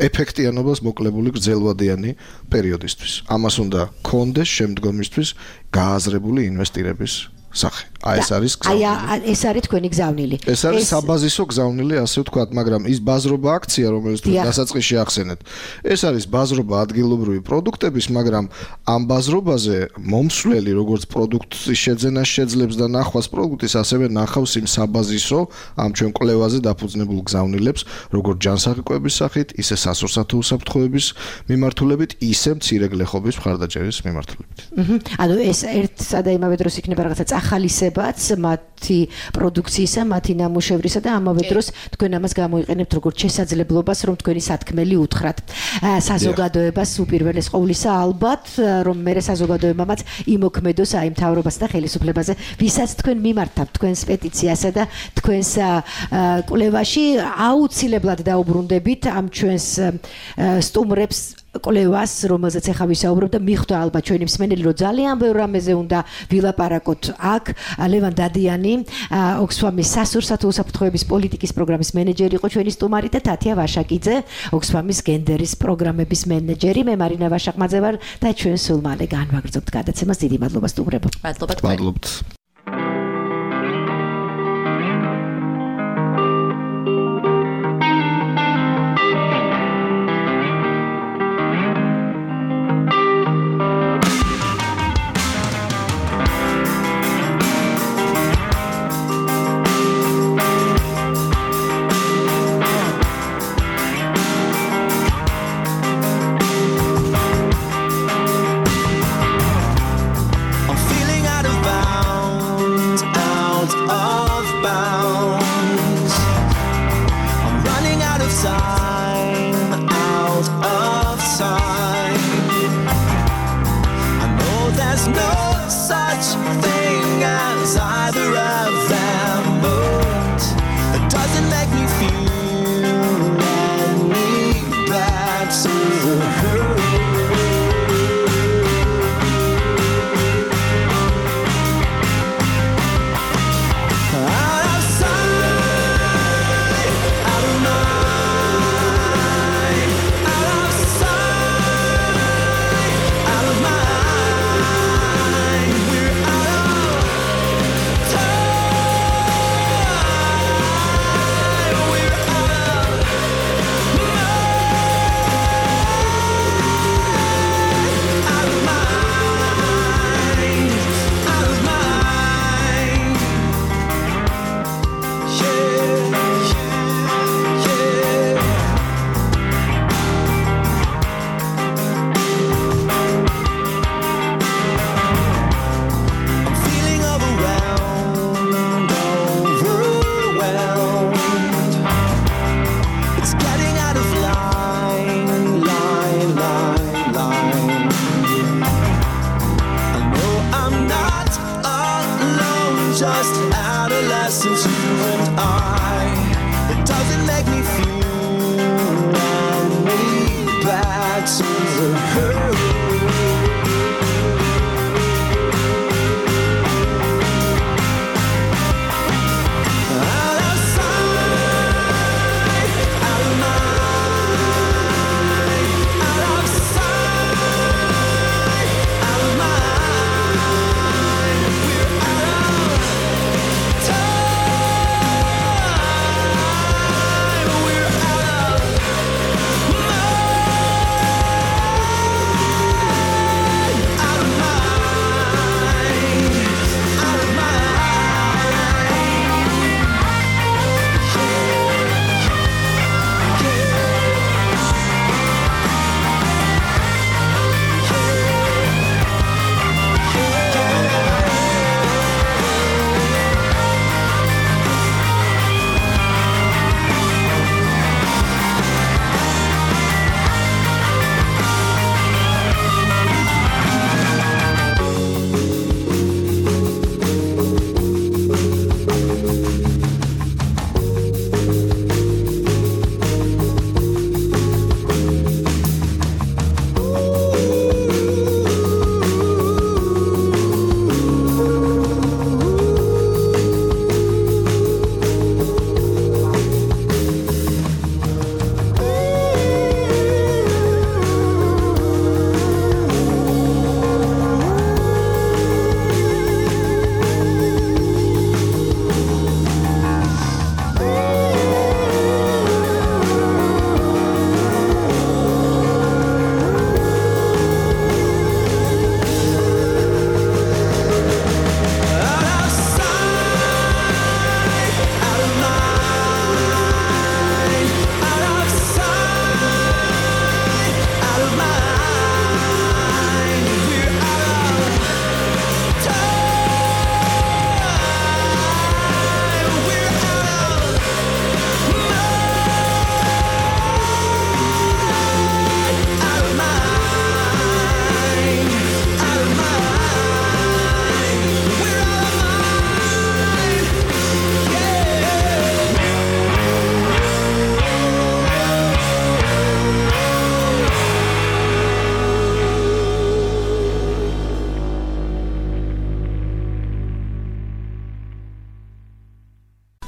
ეფექტიანობას მოკლებული გრძელვადიანი პერიოდისთვის. ამას უნდა კონდეს შემდგომისთვის გააზრებული ინვესტირების სახე. აი ეს არის გზავნილი. აი ეს არის თქვენი გზავნილი. ეს არის საბაზისო გზავნილი, ასე ვთქვათ, მაგრამ ის ბაზრობა აქცია, რომელიც თქვენ დასაწყისში ახსენეთ, ეს არის ბაზრობა ადგილობრივი პროდუქტების, მაგრამ ამ ბაზრობაზე მომსვლელი როგორც პროდუქტის შეძენას შეძლებს და ნახვას პროდუქტის, ასევე ნახავს იმ საბაზისო ამ ჩვენ კვლევაზე დაფუძნებულ გზავნილებს, როგორც ჯანსაღი სახით, ისე სასურსათო უსაფრთხოების მიმართულებით, ისე მცირე გლეხობის მხარდაჭერის მიმართულებით. ანუ ეს ერთ სადა იმავე დროს იქნება რაღაცა ახალისებაც მათი პროდუქციისა, მათი ნამუშევრისა და ამავე დროს თქვენ ამას გამოიყენებთ როგორც შესაძლებლობას, რომ თქვენი სათქმელი უთხრათ საზოგადოებას უპირველეს ყოვლისა ალბათ, რომ მე საზოგადოებამაც იმოქმედოს აი მთავრობასა და ხელისუფლებაზე, ვისაც თქვენ მიმართავთ თქვენს პეტიციასა და თქვენს კვლევაში აუცილებლად დაუბრუნდებით ამ ჩვენს სტუმრებს კვლევას, რომელზეც ახლა ვისაუბრობ და მიხვდა ალბათ ჩვენი მსმენელი, რომ ძალიან ბევრ რამეზე უნდა ვილაპარაკოთ აქ. ლევან დადიანი, ოქსფამის სასურსათო უსაფრთხოების პოლიტიკის პროგრამის მენეჯერი იყო ჩვენი სტუმარი და თათია ვაშაკიძე, ოქსფამის გენდერის პროგრამების მენეჯერი. მე მარინა ვაშაკმაძე ვარ და ჩვენ სულ მალე განვაგრძობთ გადაცემას. დიდი მადლობა სტუმრებო. მადლობა თქვენ. მადლობთ.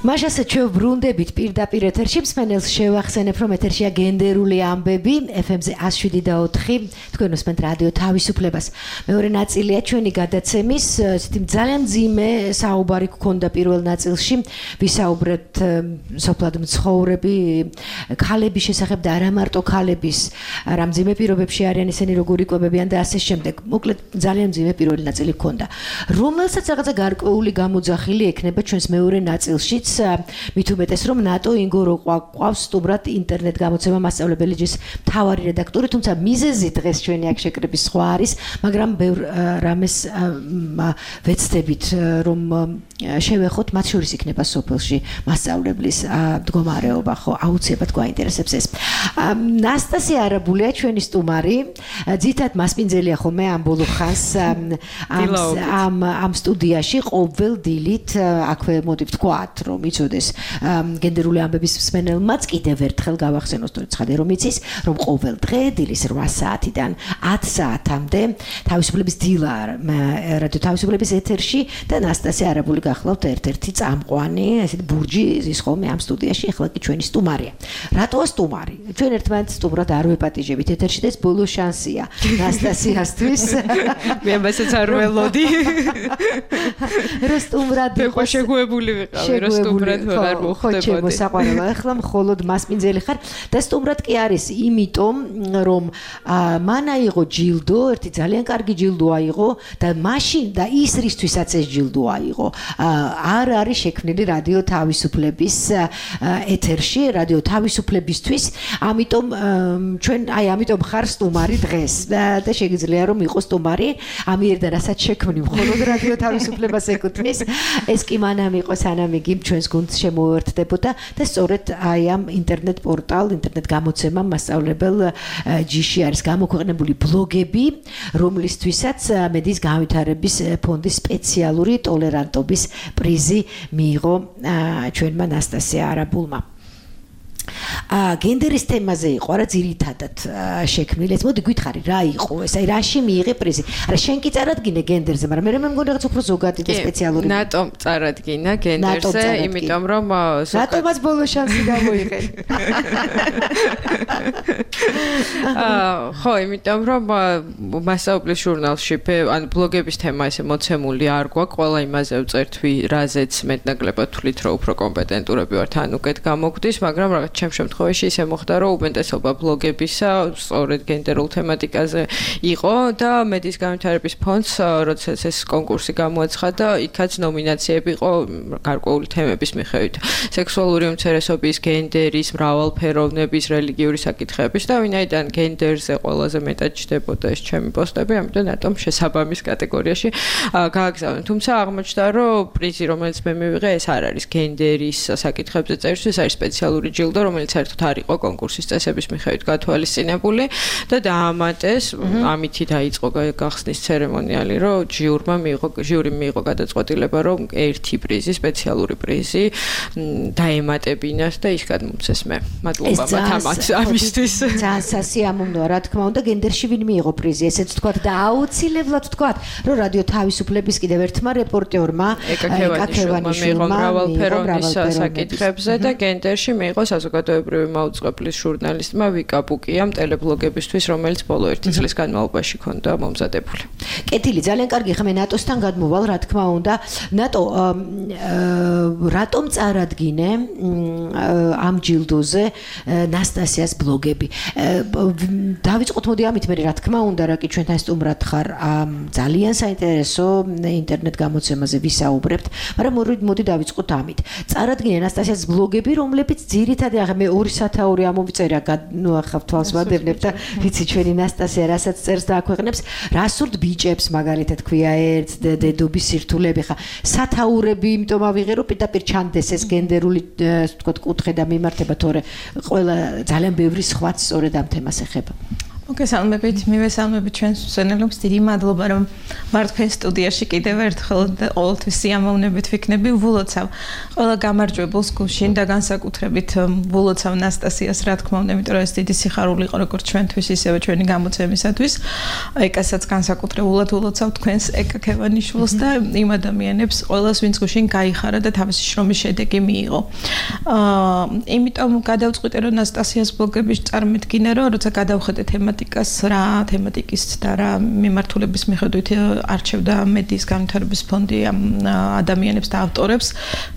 მაშასე ჩვენ ბრუნდებით პირდაპირ ეთერში მსმენელს შევახსენებ რომ ეთერშია გენდერული ამბები ეფ ემ-ზე one oh seven და four თქვენ უსმენთ რადიო თავისუფლებას მეორე ნაწილია ჩვენი გადაცემის ისეთი ძალიან მძიმე საუბარი გქონდა პირველ ნაწილში ვისაუბრეთ სოფლად მცხოვრები ქალების შესახებ და არა მარტო ქალების რა მძიმე პირობებში არიან ისინი როგორ იკვებებიან და ასე შემდეგ მოკლედ ძალიან მძიმე პირველი ნაწილი გქონდა რომელსაც რაღაცა გარკვეული გამოძახილი ექნება ჩვენს მეორე ნაწილშიც მით უმეტეს რომ ნატო ინგორო ყავს სტუმრად ინტერნეტ გამოცემა მასწავლებელი ჯის მთავარი რედაქტორი თუმცა მიზეზი დღეს ჩვენი აქ შეკრების სხვა არის მაგრამ ბევრ რამეს ვეცდებით რომ შევეხოთ მათ შორის იქნება სოფელში მასწავლებლის მდგომარეობა ხო აუცილებლად გვაინტერესებს ეს ნასტასია არაბულია ჩვენი სტუმარი ძირითადად მასპინძელია ხოლმე ამ ბოლო ხანს ამ ამ სტუდიაში ყოველ დილით აქვე მოდი ვთქვათ რომ იცოდეს გენდერული ამბების მსმენელმაც კიდევ ერთხელ გავახსენოს თორე ცხადე რომ იცის რომ ყოველ დღე დილის eight საათიდან ten საათამდე თავისუფლების დილა რადიო თავისუფლების ეთერში და ნასტასია არაბული გახლავთ ერთ-ერთი წამყვანი ესეთი ბურჯი ის ხოლმე ამ სტუდიაში ახლა კი ჩვენი სტუმარია რატოა სტუმარი ჩვენ ერთმანეთს სტუმრად არ ვეპატიჟებით ეთერში და ეს ბოლო შანსია ნასტასიასთვის მე ამასაც არ ველოდი რა სტუმრად იყო შეგუებული ვიყავი რა სტუმრად ვეღარ მოხდებოდი ხო შემოსაყვანო ახლა მხოლოდ მასპინძელი ხარ და სტუმრად კი არის იმიტომ რომ მან აიღო ჯილდო ერთი ძალიან კარგი ჯილდო აიღო და მაშინ და ის რისთვისაც ეს ჯილდო აიღო არ არის შექმნილი რადიო თავისუფლების ეთერში რადიო თავისუფლებისთვის ამიტომ ჩვენ აი ამიტომ ხარ სტუმარი დღეს და შეგიძლია რომ იყოს სტუმარი ამიერიდან რასაც შექმნი მხოლოდ რადიო თავისუფლებას ეკუთვნის ეს კი მანამ იყო სანამ იგი ჩვენს გუნდს შემოუერთდებოდა და სწორედ აი ამ ინტერნეტ პორტალ ინტერნეტ გამოცემა მასწავლებელ ჯიში არის გამოქვეყნებული ბლოგები რომლისთვისაც მედის განვითარების ფონდის სპეციალური ტოლერანტობის პრიზი მიიღო ჩვენმა ნასტასია არაბულმა ა გენდერის თემაზე იყო რა ძირითადად შექმნილი ეს მოდი გითხარი რა იყო ეს აი რაში მიიღე პრიზი არა შენ კი წარადგინე გენდერზე მაგრამ მე მე მგონი რაღაც უფრო ზოგადი და სპეციალური ნატომ წარადგინა გენდერზე იმიტომ რომ ნატომაც ბოლო შანსი გამოიღე ხო იმიტომ რომ მასწავლებლის ჟურნალში ან ბლოგების თემა ესე მოცემული არ გვაქვს ყველა იმაზე ვწერთ რაზეც მეტნაკლებად თვლით რომ უფრო კომპეტენტურები ვართ ან უკეთ გამოგვდის მაგრამ რაღაც ჩემ შემთხვევაში ისე მოხდა რომ უმეტესობა ბლოგებისა სწორედ გენდერულ თემატიკაზე იყო და მედის განვითარების ფონდს როდესაც ეს კონკურსი გამოაცხადა იქაც ნომინაციები იყო გარკვეული თემების მიხედვით სექსუალური უმცირესობის გენდერის მრავალფეროვნების რელიგიური საკითხების და ვინაიდან გენდერზე ყველაზე მეტად ჩდებოდა ეს ჩემი პოსტები ამიტომ ნატომ შესაბამის კატეგორიაში გააგზავნე თუმცა აღმოჩნდა რომ პრიზი რომელიც მე მივიღე ეს არ არის გენდერის საკითხებზე წერისთვის არის სპეციალური ჯილდო რომელიც საერთოდ არ იყო კონკურსის წესების მიხედვით გათვალისწინებული და დაამატეს ამითი დაიწყო გახსნის ცერემონიალი რომ ჟიურმა მიიღო ჟიურიმ მიიღო გადაწყვეტილება რომ ერთი პრიზი სპეციალური პრიზი დაემატებინათ და ის გადმოცეს მე მადლობა მათ ამისთვის ძალიან სასიამოვნოა რა თქმა უნდა გენდერში ვინ მიიღო პრიზი ესეც თქვა და აუცილებლად თქვა რომ რადიო თავისუფლების კიდევ ერთმა რეპორტერმა ეკაკევანიშვილმა მიიღო მრავალფეროვნის საკითხებზე და გენდერში მიიღო საზოგადოებრივი მაუწყებლის ჟურნალისტმა ვიკა პუკიამ ტელებლოგებისთვის რომელიც ბოლო ერთი წლის განმავლობაში ქონდა მომზადებული. კეთილი ძალიან კარგი ხა მე ნატოსთან გადმოვალ რა თქმა უნდა ნატო რატომ წარადგინე ამ ჯილდოზე ნასტასიას ბლოგები დავიწყოთ მოდი ამით მე რა თქმა უნდა რა კი ჩვენთან სტუმრად ხარ ძალიან საინტერესო ინტერნეტ გამოცემაზე ვისაუბრებთ მაგრამ მოდი დავიწყოთ ამით წარადგინე ნასტასიას ბლოგები რომლებიც ძირითადად ახლა მე ორი სათაური ამოვიწერა ნუ ახლა თვალს ვადევნებ და ვიცი ჩვენი ნასტასია რასაც წერს და აქვეყნებს რასურთ ბიჭებს მაგალითად ქვია ერთ დედობის სირთულეები ხა სათაურები იმიტომ ავიღე რომ პირდაპირ ჩანდეს ეს გენდერული თქო კუთხე და მიმართება თორე ყველა ძალიან ბევრი სხვაც სწორედ ამ თემას ეხება მოგესალმებით, მივესალმებით ჩვენს მსმენელებს. დიდი მადლობა, რომ ვარ თქვენ სტუდიაში კიდევ ერთხელ და ყოველთვის სიამოვნებით ვიქნები. ვულოცავ ყველა გამარჯვებულს გუშინ და განსაკუთრებით ვულოცავ ნასტასიას, რა თქმა უნდა, იმიტომ რომ ეს დიდი სიხარული იყო როგორც ჩვენთვის, ისევე ჩვენი გამოცემისათვის. ეკასაც განსაკუთრებულად ვულოცავ თქვენს ეკა ქევანიშვილს და იმ ადამიანებს, ყველას, ვინც გუშინ გაიხარა და თავისი შრომის შედეგი მიიღო. აა, იმიტომ გადავწყვიტე, რომ ნასტასიას ბლოგების წარმოდგენა, რომ როცა გადავხედე თემატიკას, რა თემატიკის და რა მიმართულების მიხედვით არჩევდა მედიის განვითარების ფონდი ამ ადამიანებს და ავტორებს,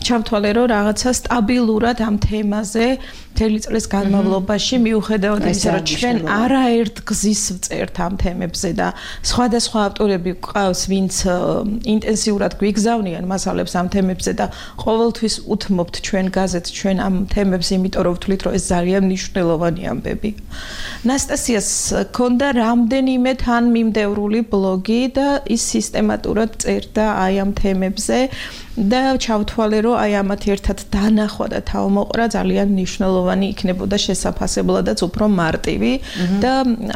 ჩავთვალე, რომ რაღაცა სტაბილურად ამ თემაზე მთელი წლის განმავლობაში მიუხედავად იმისა, რომ ჩვენ არაერთ გზის ვწერთ ამ თემებზე და სხვადასხვა ავტორები გვყავს, ვინც ინტენსიურად გვიგზავნიან მასალებს ამ თემებზე და ყოველთვის უთმობთ ჩვენ გაზეთს ჩვენ ამ თემებს, იმიტომ რომ ვთვლით, რომ ეს ძალიან მნიშვნელოვანი ამბები. ნასტასიას ქონდა რამდენიმე თან მიმდევრული ბლოგი და ის სისტემატურად წერდა აი ამ თემებზე და ჩავთვალე, რომ აი ამათ ერთად დანახვა და თავმოყრა ძალიან მნიშვნელოვანი იქნებოდა შესაძლებელადაც უფრო მარტივი და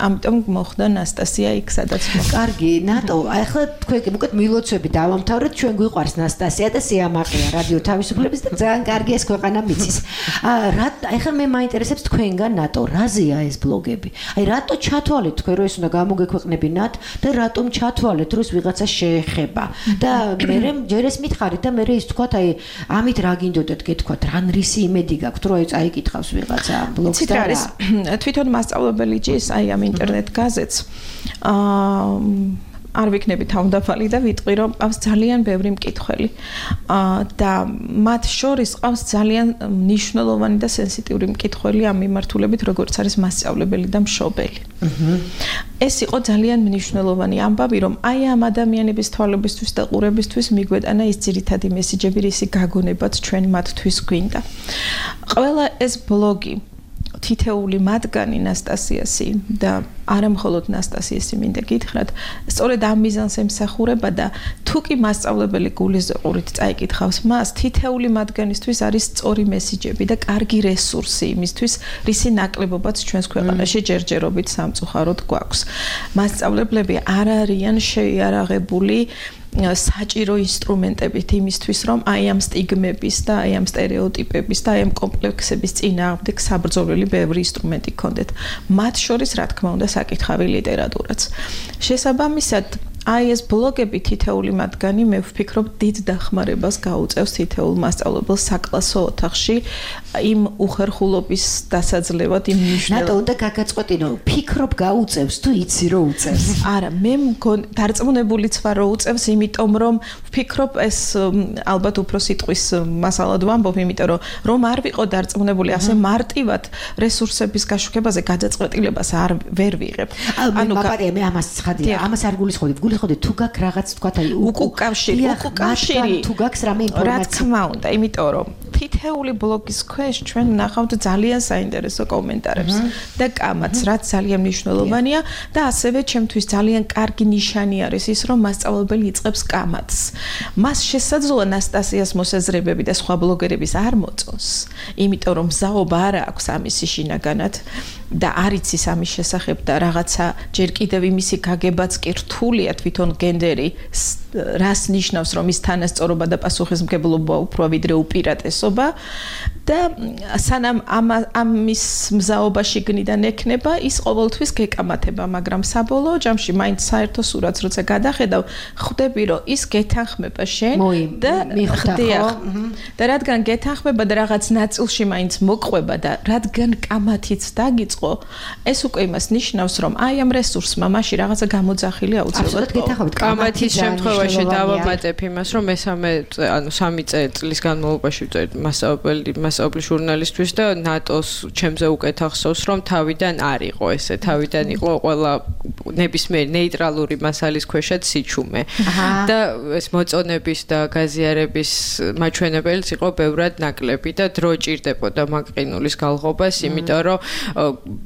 ამიტომ მოხდა ნასტასია იქ, სადაც მოხდა. კარგი, ნატო, ახლა თქვენ უკეთ მილოცვები დავამთავრეთ, ჩვენ გვიყვარს ნასტასია და სიამაყეა რადიო თავისუფლების და ძალიან კარგი ეს ქვეყანა მიცის. რა ახლა მე მაინტერესებს თქვენგან ნატო, რაზეა ეს ბლოგები? აი რატო ჩათვალეთ თქვენ, რომ ეს უნდა გამოგექვეყნებინათ და რატომ ჩათვალეთ, რომ ეს ვიღაცა შეეხება? და მე ჯერ ეს მითხარით და მე ის თქვათ, აი ამით რა გინდოდათ გეთქვათ, რან რისი იმედი გაქვთ, რომ აი წაიკითხავს ვიღაცა ბლოგს და რა? თვითონ მასწავლებელი ჭის აი ამ ინტერნეტ გაზეთს აა არ ვიქნები თავმდაბალი და ვიტყვი, რომ ყავს ძალიან ბევრი მკითხველი. და მათ შორის ყავს ძალიან მნიშვნელოვანი და სენსიტიური მკითხველი ამ მიმართულებით, როგორც არის მასწავლებელი და მშობელი. ეს იყო ძალიან მნიშვნელოვანი ამბავი, რომ აი ამ ადამიანების თვალებისთვის და ყურებისთვის მიგვეტანა ის ძირითადი მესიჯები, რისი გაგონებაც ჩვენ მათთვის გვინდა. ყველა ეს ბლოგი თითეული მათგანი ნასტასიასი და არა მხოლოდ ნასტასიასი მინდა გითხრათ, სწორედ ამ მიზანს ემსახურება და თუ კი მასწავლებელი გულისყურით წაიკითხავს მას, თითეული მათგანისთვის არის სწორი მესიჯები და კარგი რესურსი იმისთვის, რისი ნაკლებობაც ჩვენს ქვეყანაში ჯერჯერობით სამწუხაროდ გვაქვს. მასწავლებლები არ არიან შეიარაღებული საჭირო ინსტრუმენტებით იმისთვის, რომ აი ამ სტიგმების და აი ამ სტერეოტიპების და აი ამ კომპლექსების წინააღმდეგ საბრძოლველი ბევრი ინსტრუმენტი გქონდეთ. მათ შორის, რა თქმა უნდა, საკითხავი ლიტერატურაც. შესაბამისად, აი ეს ბლოგები თითეული მათგანი მე ვფიქრობ დიდ დახმარებას გაუწევს თითეულ მასწავლებელს საკლასო ოთახში იმ უხერხულობის დასაძლევად იმ მნიშვნელოვან. ნატო უნდა გაგაწყვეტინო, ვფიქრობ გაუწევს თუ იცი რომ უწევს? არა, მე დარწმუნებულიც ვარ რომ უწევს, იმიტომ რომ ვფიქრობ ეს ალბათ უფრო სიტყვის მასალად ვამბობ, იმიტომ რომ რომ არ ვიყო დარწმუნებული ასე მარტივად რესურსების გაშუქებაზე გადაწყვეტილებას არ ვერ ვიღებ. ანუ მაგარია მე ამას ცხადია, ამას არ გულისხმობ. გულისხმობ თუ გაქვს რაღაც თქვა აი უკუკავშირი, უკუკავშირი თუ გაქვს რამე ინფორმაცია. რა თქმა უნდა, იმიტომ რომ თითეული ბლოგის ქვეშ ჩვენ ვნახავთ ძალიან საინტერესო კომენტარებს და კამათს, რაც ძალიან მნიშვნელოვანია და ასევე ჩემთვის ძალიან კარგი ნიშანი არის ის, რომ მასწავლებელი იწყებს კამათს. მას შესაძლოა ნასტასიას მოსაზრებები და სხვა ბლოგერების არ მოწონს, იმიტომ რომ მზაობა არ აქვს ამისი შინაგანად და არ იცის ამის შესახებ და რაღაცა ჯერ კიდევ იმისი გაგებაც კი რთულია თვითონ გენდერი რას ნიშნავს, რომ ის თანასწორობა და პასუხისმგებლობა უფრო ვიდრე უპირატესობა და სანამ ამის მზაობაში გნიდან ექნება, ის ყოველთვის გეკამათება, მაგრამ საბოლოო ჯამში მაინც საერთო სურათს როცა გადახედავ, ხვდები, რომ ის გეთანხმება შენ და ხდიახ. და რადგან გეთანხმება და რაღაც ნაწილში მაინც მოყვება და რადგან კამათიც დაგიწყო, ეს უკვე იმას ნიშნავს, რომ აი ამ რესურსმა მაშინ რაღაცა გამოძახილი აუცილებლად გეთანხმებით. კამათის შემთხვევაში დავამატებ იმას, რომ მესამე ანუ სამი წლის განმავლობაში ვწერთ მასწავლებელი მასწავლებელი ჟურნალისტვის და ნატოს ჩემზე უკეთ ახსოვს, რომ თავიდან არ იყო ესე, თავიდან იყო ყველა ნებისმიერი ნეიტრალური მასალის ქვეშაც სიჩუმე. და ეს მოწონების და გაზიარების მაჩვენებელიც იყო ბევრად ნაკლები და დრო ჭირდებოდა მაგყინულის გალღობას, იმიტომ რომ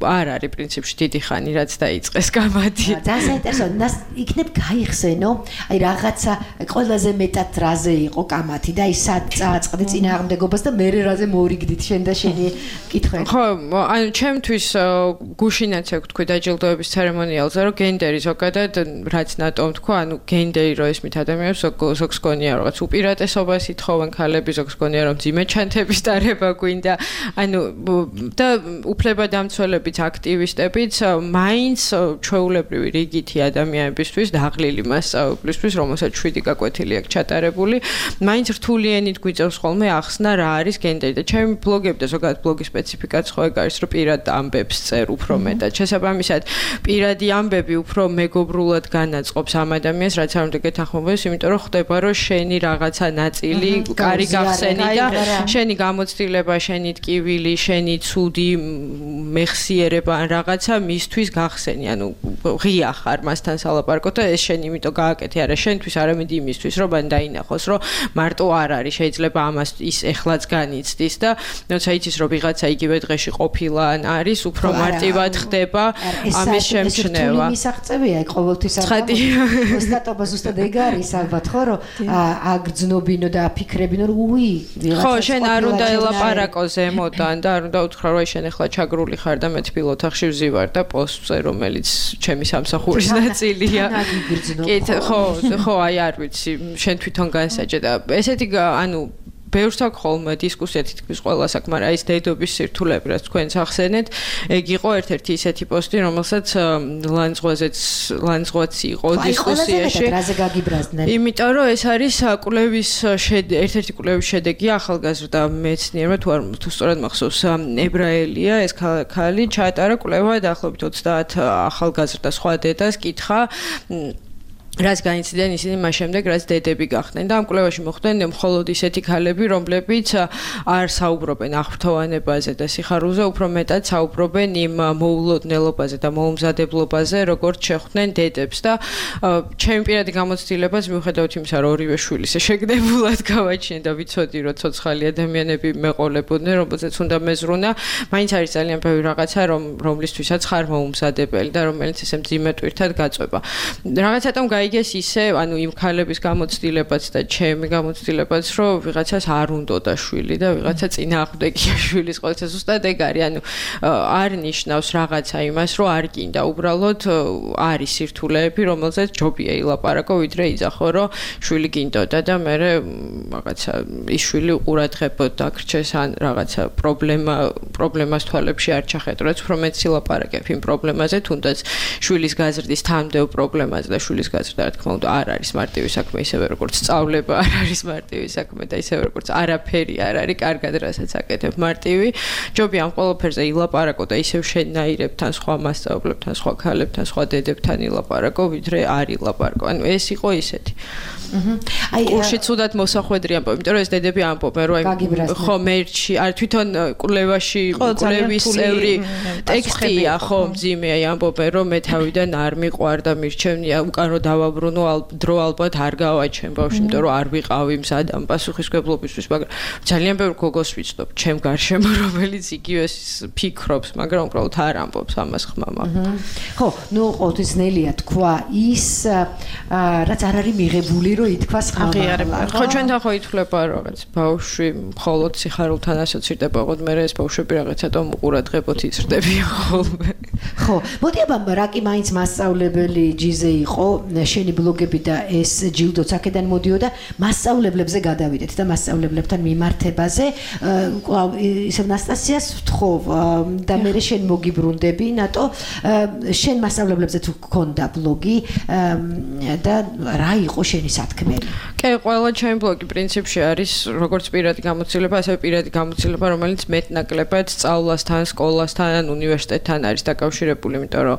არ არის პრინციპში დიდი ხანი რაც დაიწყეს კამათი. ძალიან საინტერესო, იქნებ გაიხსენო, აი რაღა რაღაცა ყველაზე მეტად რაზე იყო კამათი და ის სად წააწყდი წინააღმდეგობას და მე რაზე მორიგდით შენ და შენი კითხვები. ხო, ანუ ჩემთვის გუშინაც ეგ თქვი დაჯილდოების ცერემონიალზე, რომ გენდერი ზოგადად რაც ნატომ თქვა, ანუ გენდერი რო ესმით ადამიანებს ზოგს გონია რაღაც უპირატესობას ითხოვენ ქალები, ზოგს გონია რომ ძიმე ჩანთების დარება გვინდა, ანუ და უფლებადამცველებიც აქტივისტებიც მაინც ჩვეულებრივი რიგითი ადამიანებისთვის დაღლილი მასწავლებლისთვის, რომელსაც შვიდი გაკვეთილი აქვს ჩატარებული, მაინც რთულიანით გვიწევს ხოლმე ახსნა რა არის გენდერი და ჩემი ბლოგები და ზოგადად ბლოგის სპეციფიკაც ხო ეგ არის, რომ პირად ამბებს წერ უფრო მეტად. შესაბამისად, პირადი ამბები უფრო მეგობრულად განაწყობს ამ ადამიანს, რაც არ უნდა გეთანხმებოდეს, იმიტომ რომ ხდება, რომ შენი რაღაცა ნაწილი კარი გახსენი და შენი გამოცდილება, შენი ტკივილი, შენი ცუდი მეხსიერება ან რაღაცა მისთვის გახსენი. ანუ ღია ხარ მასთან სალაპარაკო და ეს შენ იმიტომ გააკეთე, არა შენთვის, არამედ იმისთვის, რომ მან დაინახოს, რომ მარტო არ არის, შეიძლება ამას ის ეხლაც განიცდის და როცა იცის, რომ ვიღაცა იგივე დღეში ყოფილა ან არის, უფრო მარტივად ხდება ამის შემჩნევა. ეს მისაღწევია ეგ ყოველთვის ცხადი. ოსტატობა ზუსტად ეგ არის ალბათ, ხო, რომ აგრძნობინო და აფიქრებინო, რომ უი, ვიღაცა ხო, შენ არ უნდა ელაპარაკო ზემოდან და არ უნდა უთხრა, რომ შენ ახლა ჩაგრული ხარ და მე თბილ ოთახში ვზივარ და პოსტზე, რომელიც ჩემი სამსახურის ნაწილია. კი, ხო, ხო, აი არ ვიცი, შენ თვითონ განსაჯე და ესეთი ანუ ბევრს აქვს ხოლმე დისკუსია თითქმის ყველას აქვს, მაგრამ ის დედობის სირთულეები, რაც თქვენს ახსენეთ, ეგ იყო ერთ-ერთი ისეთი პოსტი, რომელსაც ლანძღვაზეც ლანძღვაც იყო დისკუსიაში. რაზე გაგიბრაზდნენ? იმიტომ რომ ეს არის კვლევის ერთ-ერთი კვლევის შედეგი ახალგაზრდა მეცნიერმა, თუ არ თუ სწორად მახსოვს, ებრაელია ეს ქალი, ჩაატარა კვლევა დაახლოებით ოცდაათ ახალგაზრდა სხვა დედას კითხა რაც განიცდიან ისინი მას შემდეგ, რაც დედები გახდნენ და ამ კვლევაში მოხვდნენ მხოლოდ ისეთი ქალები, რომლებიც არ საუბრობენ აღფრთოვანებაზე და სიხარულზე, უფრო მეტად საუბრობენ იმ მოულოდნელობაზე და მოუმზადებლობაზე, როგორც შეხვდნენ დედებს და ჩემი პირადი გამოცდილებას მიუხედავად იმისა, რომ ორივე შვილის შეგნებულად გავაჩინე და ვიცოდი, რომ ცოცხალი ადამიანები მეყოლებოდნენ, რომელზეც უნდა მეზრუნა, მაინც არის ძალიან ბევრი რაღაცა, რომ რომლისთვისაც ხარ მოუმზადებელი და რომელიც ესე მძიმე ტვირთად გაწვება. რაღაცატომ გაიგეს ისე, ანუ იმ ქალების გამოცდილებაც და ჩემი გამოცდილებაც, რომ ვიღაცას არ უნდოდა შვილი და ვიღაცა წინააღმდეგია შვილის ყოველთვის ზუსტად ეგ არის, ანუ არ ნიშნავს რაღაცა იმას, რომ არ გინდა, უბრალოდ არის სირთულეები, რომელზეც ჯობია ილაპარაკო, ვიდრე იძახო, რომ შვილი გინდოდა და მე რაღაცა ის შვილი უყურადღებოდ დაგრჩეს ან რაღაცა პრობლემა პრობლემას თვალებში არ ჩახედროს, უფრო მეც ილაპარაკებ იმ პრობლემაზე, თუნდაც შვილის გაზრდის თამდევ პრობლემაზე და შვილის გაზრდა და რა თქმა უნდა არ არის მარტივი საქმე, ისევე როგორც სწავლება არ არის მარტივი საქმე და ისევე როგორც არაფერი არ არის კარგად რასაც აკეთებ მარტივი. ჯობია ამ ყველაფერზე ილაპარაკო და ისევ შენნაირებთან, სხვა მასწავლებლებთან, სხვა ქალებთან, სხვა დედებთან ილაპარაკო, ვიდრე არ ილაპარაკო. ანუ ეს იყო ისეთი. აი, კურსში ცუდად მოსახვედრი ამბობ, იმიტომ რომ ეს დედები ამბობენ, რომ ხო მერჩი, არ თვითონ კვლევაში კვლევის წევრი ტექსტია, ხო მძიმეა, ამბობენ, რომ მე თავიდან არ მიყვარ და მირჩევნია უკან რო დავაბრუნო, დრო ალბათ არ გავაჩენ ბავშვი, იმიტომ რომ არ ვიყავი მზად ამ პასუხისმგებლობისთვის, მაგრამ ძალიან ბევრ გოგოს ვიცნობ, ჩემ გარშემო, რომელიც იგივეს ფიქრობს, მაგრამ უბრალოდ არ ამბობს ამას ხმამა. ხო, ნუ ყოველთვის ძნელია თქვა ის, რაც არ არის მიღებული, რომ ითქვას ხმამა. ხო, ჩვენთან ხო ითვლება რაღაც ბავშვი მხოლოდ სიხარულთან ასოცირდება, ოღონდ მე ეს ბავშვები რაღაცა უყურადღებოთ იზრდებიან ხოლმე. ხო, მოდი აბა რა კი მაინც მასწავლებელი ჯიზე იყო, შენი ბლოგები და ეს ჯილდოც აქედან მოდიოდა, მასწავლებლებზე გადავიდეთ და მასწავლებლებთან მიმართებაზე. ისევ ნასტასიას ვთხოვ და მე შენ მოგიბრუნდები, ნატო, შენ მასწავლებლებზე თუ გქონდა ბლოგი და რა იყო შენი სათქმელი? კი, ყველა ჩემი ბლოგი პრინციპში არის როგორც პირადი გამოცდილება, ასევე პირადი გამოცდილება, რომელიც მეტნაკლებად სწავლასთან, სკოლასთან, ან უნივერსიტეტთან არის დაკავშირებული, იმიტომ რომ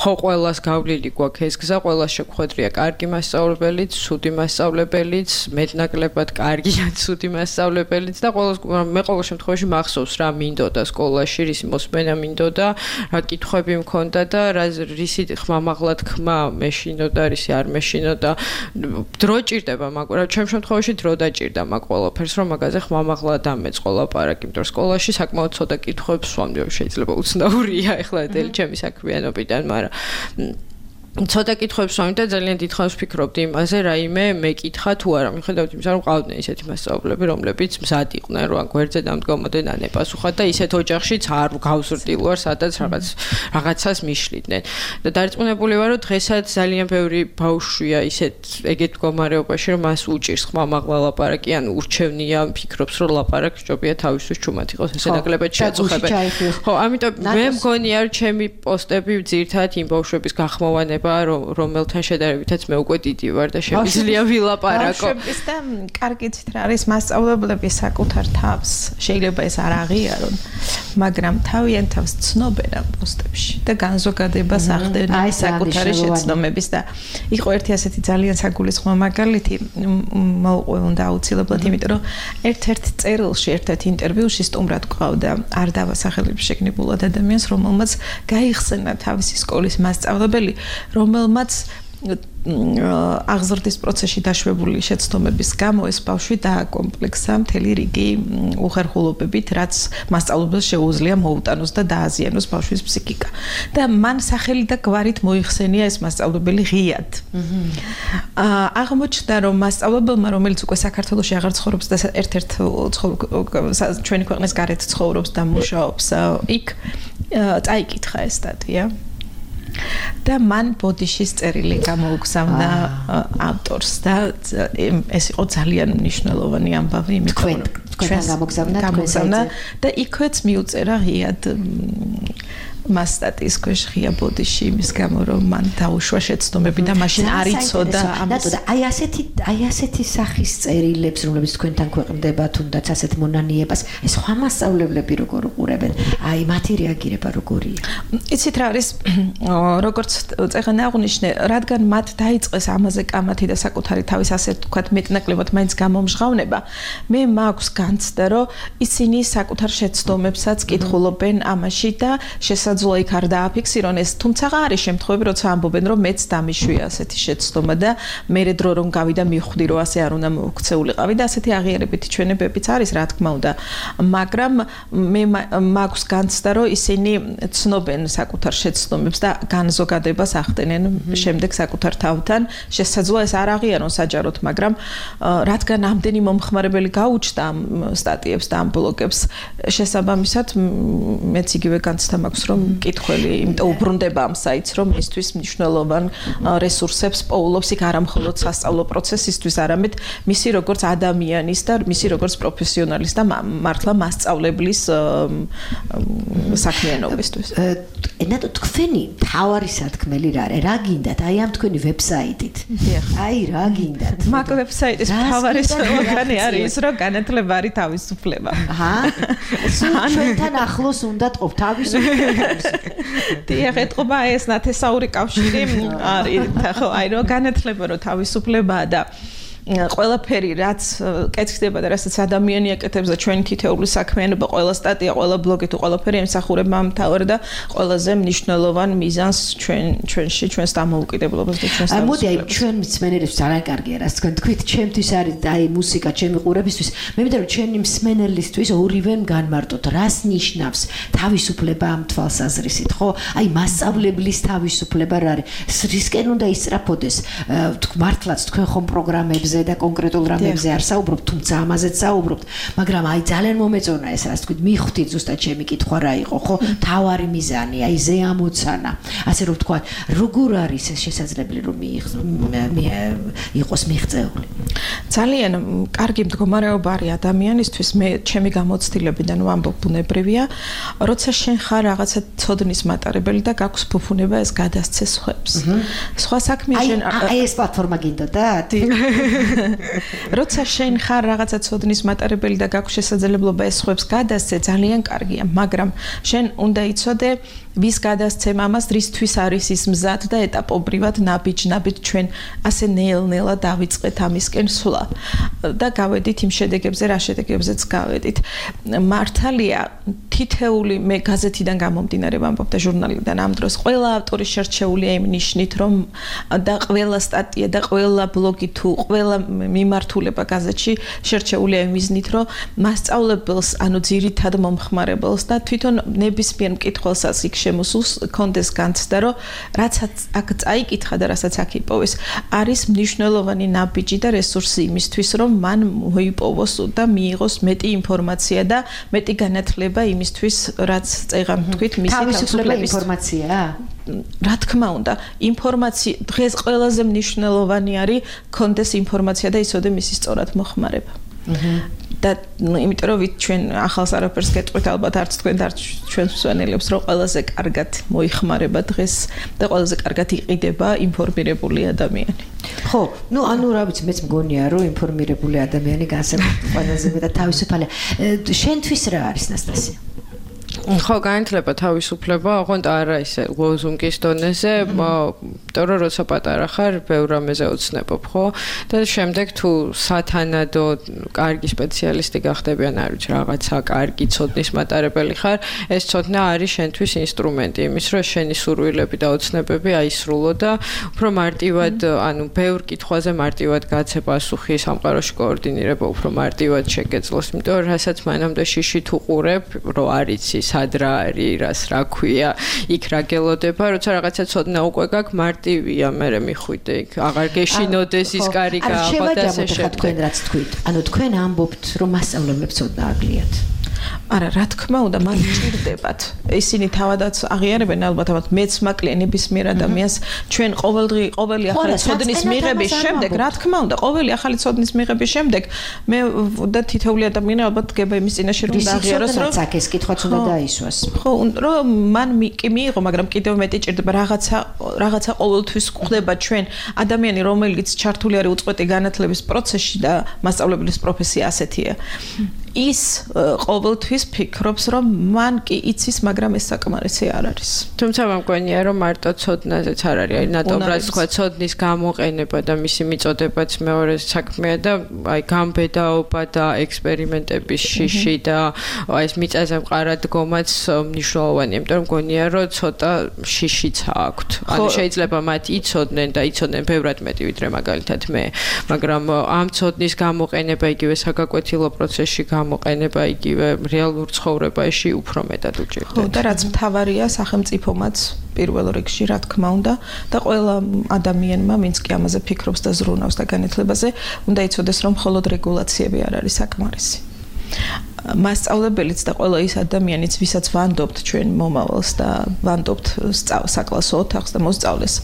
ხო ყველას გავლილი გვაქვს ეს გზა, ყველას შეგვხვედრია კარგი მასწავლებელიც, ცუდი მასწავლებელიც, მეტნაკლებად კარგი ან ცუდი მასწავლებელიც და ყველას მე ყოველ შემთხვევაში მახსოვს რა მინდოდა სკოლაში, რისი მოსმენა მინდოდა, რა კითხვები მქონდა და რა რისი ხმამაღლა თქმა მეშინოდა, რისი არ მეშინოდა. დრო ჭირდება, მაგრამ ჩემ შემთხვევაში დრო დაჭირდა მაგ ყველაფერს, რომ მაგაზე ხმამაღლა დამეწყო ლაპარაკი, იმიტომ რომ სკოლაში საკმაოდ ცოტა კითხვებს ვსვამდი, შეიძლება უცნაურია ეხლა დელი ჩემი საქმიანობიდან, მაგრამ ცოტა კითხვებს ვამით და ძალიან დიდხანს ვფიქრობდი იმაზე, რაიმე მეკითხა თუ არა, მიხედავთ იმისა, რომ ყავდნენ ისეთი მასწავლებლები, რომლებიც მზად იყვნენ, რომ გვერდზე დამდგომოდნენ ან ეპასუხათ და ისეთ ოჯახშიც არ გავზრდილ ვარ, სადაც რაღაც რაღაცას მიშლიდნენ. და დარწმუნებული ვარ, რომ დღესაც ძალიან ბევრი ბავშვია ისეთ ეგეთ მდგომარეობაში, რომ მას უჭირს ხმამაღლა ლაპარაკი, ან ურჩევნია, ფიქრობს, რომ ლაპარაკი ჯობია თავისთვის ჩუმად იყოს, ესე ნაკლებად შეაწუხებენ. ხო, ამიტომ მე მგონია, რომ ჩემი პოსტები ძირითადად იმ ბავშვების გახმოვანება რომელთან შედარებითაც მე უკვე დიდი ვარ და შემიძლია ვილაპარაკო. ბავშვების და კარგიცით რა არის მასწავლებლები საკუთარ თავს. შეიძლება ეს არ აღიარონ, მაგრამ თავიანთ თავს ცნობენ ამ პოსტებში და განზოგადებას ახდენენ საკუთარი შეცდომების და იყო ერთი ასეთი ძალიან საგულისხმო მაგალითი მოვყვე უნდა აუცილებლად, იმიტომ რომ ერთ-ერთ წერილში, ერთ-ერთ ინტერვიუში სტუმრად გვყავდა არ დავასახელებ შეგნებულად ადამიანს, რომელმაც გაიხსენა თავისი სკოლის მასწავლებელი, რომელმაც აღზრდის პროცესში დაშვებული შეცდომების გამო ეს ბავშვი დააკომპლექსა მთელი რიგი უხერხულობებით, რაც მასწავლებელს შეუძლია მოუტანოს და დააზიანოს ბავშვის ფსიქიკა. და მან სახელი და გვარით მოიხსენია ეს მასწავლებელი ღიად. აღმოჩნდა, რომ მასწავლებელმა, რომელიც უკვე საქართველოში აღარ ცხოვრობს და ერთ-ერთ ჩვენი ქვეყნის გარეთ ცხოვრობს და მუშაობს იქ, წაიკითხა ეს სტატია. და მან ბოდიშის წერილი გამოუგზავნა ავტორს და ეს იყო ძალიან მნიშვნელოვანი ამბავი, იმიტომ რომ თქვენ გამოგზავნა და იქვეც მიუწერა ღიად მას სტატიის ქვეშ ღია ბოდიში იმის გამო, რომ მან დაუშვა შეცდომები და მაშინ არ იცოდა ამას. აი ასეთი აი ასეთი სახის წერილებს, რომლებიც თქვენთან ქვეყნდება, თუნდაც ასეთ მონანიებას, ეს სხვა მასწავლებლები როგორ უყურებენ? აი მათი რეაგირება როგორია? იცით რა არის, როგორც წეგან აღნიშნე, რადგან მათ დაიწყეს ამაზე კამათი და საკუთარი თავის ასე ვთქვათ მეტნაკლებად მაინც გამომჟღავნება, მე მაქვს განცდა, რომ ისინი საკუთარ შეცდომებსაც კითხულობენ ამაში და შესაძლოა იქ არ დააფიქსირონ ეს, თუმცა არის შემთხვევები, როცა ამბობენ, რომ მეც დამიშვია ასეთი შეცდომა და მერე დრო რომ გავიდა მივხვდი, რომ ასე არ უნდა მოქცეულიყავი და ასეთი აღიარებითი ჩვენებებიც არის, რა თქმა უნდა, მაგრამ მე მაქვს განცდა, რომ ისინი ცნობენ საკუთარ შეცდომებს და განზოგადებას ახდენენ შემდეგ საკუთარ თავთან. შესაძლოა ეს არ აღიარონ საჯაროდ, მაგრამ რადგან ამდენი მომხმარებელი გაუჩნდა ამ სტატიებს და ამ ბლოგებს, შესაბამისად მეც იგივე განცდა მაქვს, რომ მკითხველი იმიტომ უბრუნდება ამ საიტს, რომ მისთვის მნიშვნელოვან რესურსებს პოულობს იქ არა მხოლოდ სასწავლო პროცესისთვის, არამედ მისი როგორც ადამიანის და მისი როგორც პროფესიონალის და მართლა მასწავლებლის საქმიანობისთვის. ენათო თქვენი თავარი სათქმელი რა არის? რა გინდათ? აი ამ თქვენი ვებსაიტით. აი რა გინდათ? მაგ ვებსაიტის თავარი სლოგანი არის ის, რომ განათლება არის თავისუფლება. აჰა. ჩვენთან ახლოს უნდა ყოფ თავისუფლება. დიახ, ეთყობა ეს ნათესაური კავშირი არის, ხო, აი რომ განათლება რომ თავისუფლებაა და ყველაფერი რაც კეთდება და რასაც ადამიანი აკეთებს და ჩვენი თითოეული საქმიანობა, ყველა სტატია, ყველა ბლოგი თუ ყველაფერი ემსახურება ამ თავარ და ყველაზე მნიშვნელოვან მიზანს ჩვენ ჩვენში, ჩვენს დამოუკიდებლობას და ჩვენს თავისუფლებას. მოდი, აი ჩვენ მსმენელებს ძალიან კარგია, რაც თქვენ თქვით, ჩემთვის არის აი მუსიკა, ჩემი ყურებისთვის. მე მინდა რომ ჩვენი მსმენელისთვის ორივემ განმარტოთ, რას ნიშნავს თავისუფლება ამ თვალსაზრისით, ხო? აი მასწავლებლის თავისუფლება რა არის? რისკენ უნდა ისწრაფოდეს? მართლაც თქვენ ხომ პროგრამებზე და კონკრეტულ რამებზე არ საუბრობთ, თუმცა ამაზეც საუბრობთ, მაგრამ აი ძალიან მომეწონა ეს, რაც თქვით, მიხვდით ზუსტად ჩემი კითხვა რა იყო, ხო? თავარი მიზანი, აი ზე ამოცანა. ასე რომ ვთქვა, როგორ არის ეს შესაძლებელი რომ იყოს მიღწეული? ძალიან კარგი მდგომარეობა არის ადამიანისთვის, მე ჩემი გამოცდილებიდან ვამბობ, ბუნებრივია, როცა შენ ხარ რაღაცა ცოდნის მატარებელი და გაქვს ფუფუნება ეს გადასცე სხვებს. სხვა საქმე შენ აი ეს პლატფორმა გინდოდათ? როცა შენ ხარ რაღაცა ცოდნის მატარებელი და გაქვს შესაძლებლობა ეს სხვებს გადასცე, ძალიან კარგია, მაგრამ შენ უნდა იცოდე ვის გადასცემ ამას, რისთვის არის ის მზად და ეტაპობრივად ნაბიჯ-ნაბიჯ ჩვენ ასე ნელ-ნელა დავიწყეთ ამისკენ სვლა და გავედით იმ შედეგებზე, რა შედეგებზეც გავედით. მართალია, თითეული მე გაზეთიდან გამომდინარე ვამბობ და ჟურნალიდან ამ დროს ყველა ავტორი შერჩეულია იმ ნიშნით, რომ და ყველა სტატია და ყველა ბლოგი თუ ყველა მიმართულება გაზეთში შერჩეულია იმ მიზნით, რომ მასწავლებელს, ანუ ძირითად მომხმარებელს და თვითონ ნებისმიერ მკითხველსაც იქ შემოსულს კონდეს განცდა, რომ რაც აქ წაიკითხა და რასაც აქ იპოვეს, არის მნიშვნელოვანი ნაბიჯი და რესურსი იმისთვის, რომ მან მოიპოვოს და მიიღოს მეტი ინფორმაცია და მეტი განათლება იმისთვის, რაც წეღამ თქვით, მისი თავისუფლების ინფორმაცია. რა თქმა უნდა, ინფორმაცია დღეს ყველაზე მნიშვნელოვანი არის კონდეს ინფორმაცია და ისოდე მისი სწორად მოხმარება. და იმიტომ რომ ვით ჩვენ ახალს არაფერს გეტყვით ალბათ არც თქვენ და არც ჩვენ მსვენელებს რომ ყველაზე კარგად მოიხმარება დღეს და ყველაზე კარგად იყიდება ინფორმირებული ადამიანი. ხო, ну, ანუ რა ვიცი, მეც მგონია რომ ინფორმირებული ადამიანი განსაკუთრებით ყველაზე მეტად თავისუფალია. შენთვის რა არის ნასტასია? ხო, განათლება თავისუფლება, ოღონდ არა ისე ლოზუნგის დონეზე, იმიტომ რომ როცა პატარა ხარ, ბევრ რამეზე ოცნებობ, ხო? და შემდეგ თუ სათანადო კარგი სპეციალისტი გახდები, ან არ ვიცი, რაღაცა კარგი ცოდნის მატარებელი ხარ, ეს ცოდნა არის შენთვის ინსტრუმენტი იმის, რომ შენი სურვილები და ოცნებები აისრულო და უფრო მარტივად, ანუ ბევრ კითხვაზე მარტივად გაცე პასუხი, სამყაროში კოორდინირება უფრო მარტივად შეგეძლოს, იმიტომ რომ რასაც მანამდე შიშით უყურებ, რომ არიცი სად რა არის, რას რა ქვია, იქ რა გელოდება, როცა რაღაცა ცოდნა უკვე გაქვს, მარტივია მე მიხვიდე იქ, აღარ გეშინოდეს ის კარი გააღო და ასე შემდეგ. თქვენ რაც თქვით, ანუ თქვენ ამბობთ, რომ მასწავლებლებს ცოდნა აგლიათ. არა, რა თქმა უნდა, მათ ჭირდებათ. ისინი თავადაც აღიარებენ ალბათ, ალბათ მეც მაკლია ნებისმიერ ადამიანს ჩვენ ყოველდღე ყოველი ახალი ცოდნის მიღების შემდეგ, რა თქმა უნდა, ყოველი ახალი ცოდნის მიღების შემდეგ მე და თითოეული ადამიანი ალბათ გება იმის წინაშე რომ დააღიაროს, რომ აქ ეს კითხვაც უნდა დაისვას. ხო, რომ მან კი მიიღო, მაგრამ კიდევ მეტი ჭირდება რაღაცა რაღაცა ყოველთვის გვხდება ჩვენ ადამიანი, რომელიც ჩართული არის უწყვეტი განათლების პროცესში და მასწავლებლის პროფესია ასეთია. ის ყოველთვის ფიქრობს, რომ მან კი იცის, მაგრამ ეს საკმარისი არ არის. თუმცა მგონია, რომ მარტო ცოდნაზეც არ არის, აი ნატობრაც თქვა ცოდნის გამოყენება და მისი მიწოდებაც მეორე საქმეა და აი გამბედაობა და ექსპერიმენტების შიში და აი ეს მიწაზე მყარა დგომაც მნიშვნელოვანია, იმიტომ რომ მგონია, რომ ცოტა შიშიც აქვთ. ანუ შეიძლება მათ იცოდნენ და იცოდნენ ბევრად მეტი ვიდრე მაგალითად მე, მაგრამ ამ ცოდნის გამოყენება იგივე საგაკვეთილო პროცესში გამოყენება იგივე რეალურ ცხოვრებაში უფრო მეტად უჭირდება. ხო, და რაც მთავარია სახელმწიფომაც პირველ რიგში, რა თქმა უნდა, და ყველა ადამიანმა, ვინც კი ამაზე ფიქრობს და ზრუნავს და განათლებაზე, უნდა იცოდეს, რომ მხოლოდ რეგულაციები არ არის საკმარისი. მასწავლებელიც და ყველა ის ადამიანიც, ვისაც ვანდობთ ჩვენ მომავალს და ვანდობთ საკლასო ოთახს და მოსწავლეს,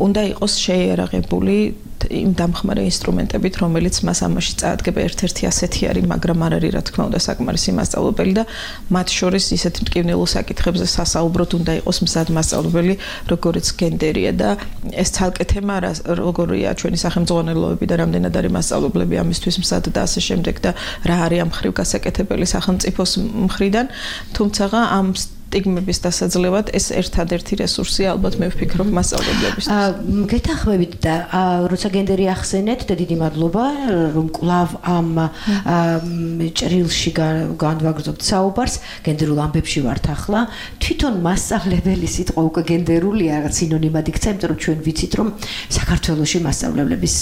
უნდა იყოს შეიარაღებული იმ დამხმარე ინსტრუმენტებით, რომელიც მას ამაში წაადგება. ერთ-ერთი ასეთი არის, მაგრამ არ არის, რა თქმა უნდა, საკმარისი მასწავლებელი და მათ შორის ისეთ მტკივნეულ საკითხებზე სასაუბროთ უნდა იყოს მზად მასწავლებელი, როგორც გენდერია და ეს ცალკე თემა როგორია ჩვენი სახელმძღვანელოები და რამდენად არის მასწავლებლები ამისთვის მზად და ასე შემდეგ და რა არის ამ ხრივ გასაკეთებელი სახელმწიფოს მხრიდან, თუმცა ამ სტიგმების დასაძლევად ეს ერთადერთი რესურსია ალბათ მე ვფიქრობ მასწავლებლებისთვის. გეთანხმებით და როცა გენდერი ახსენეთ და დიდი მადლობა რომ კვლავ ამ ჭრილში განვაგრძობთ საუბარს, გენდერულ ამბებში ვართ ახლა. თვითონ მასწავლებელი სიტყვა უკვე გენდერულია, რაღაც სინონიმად იქცა, იმიტომ რომ ჩვენ ვიცით რომ საქართველოში მასწავლებლების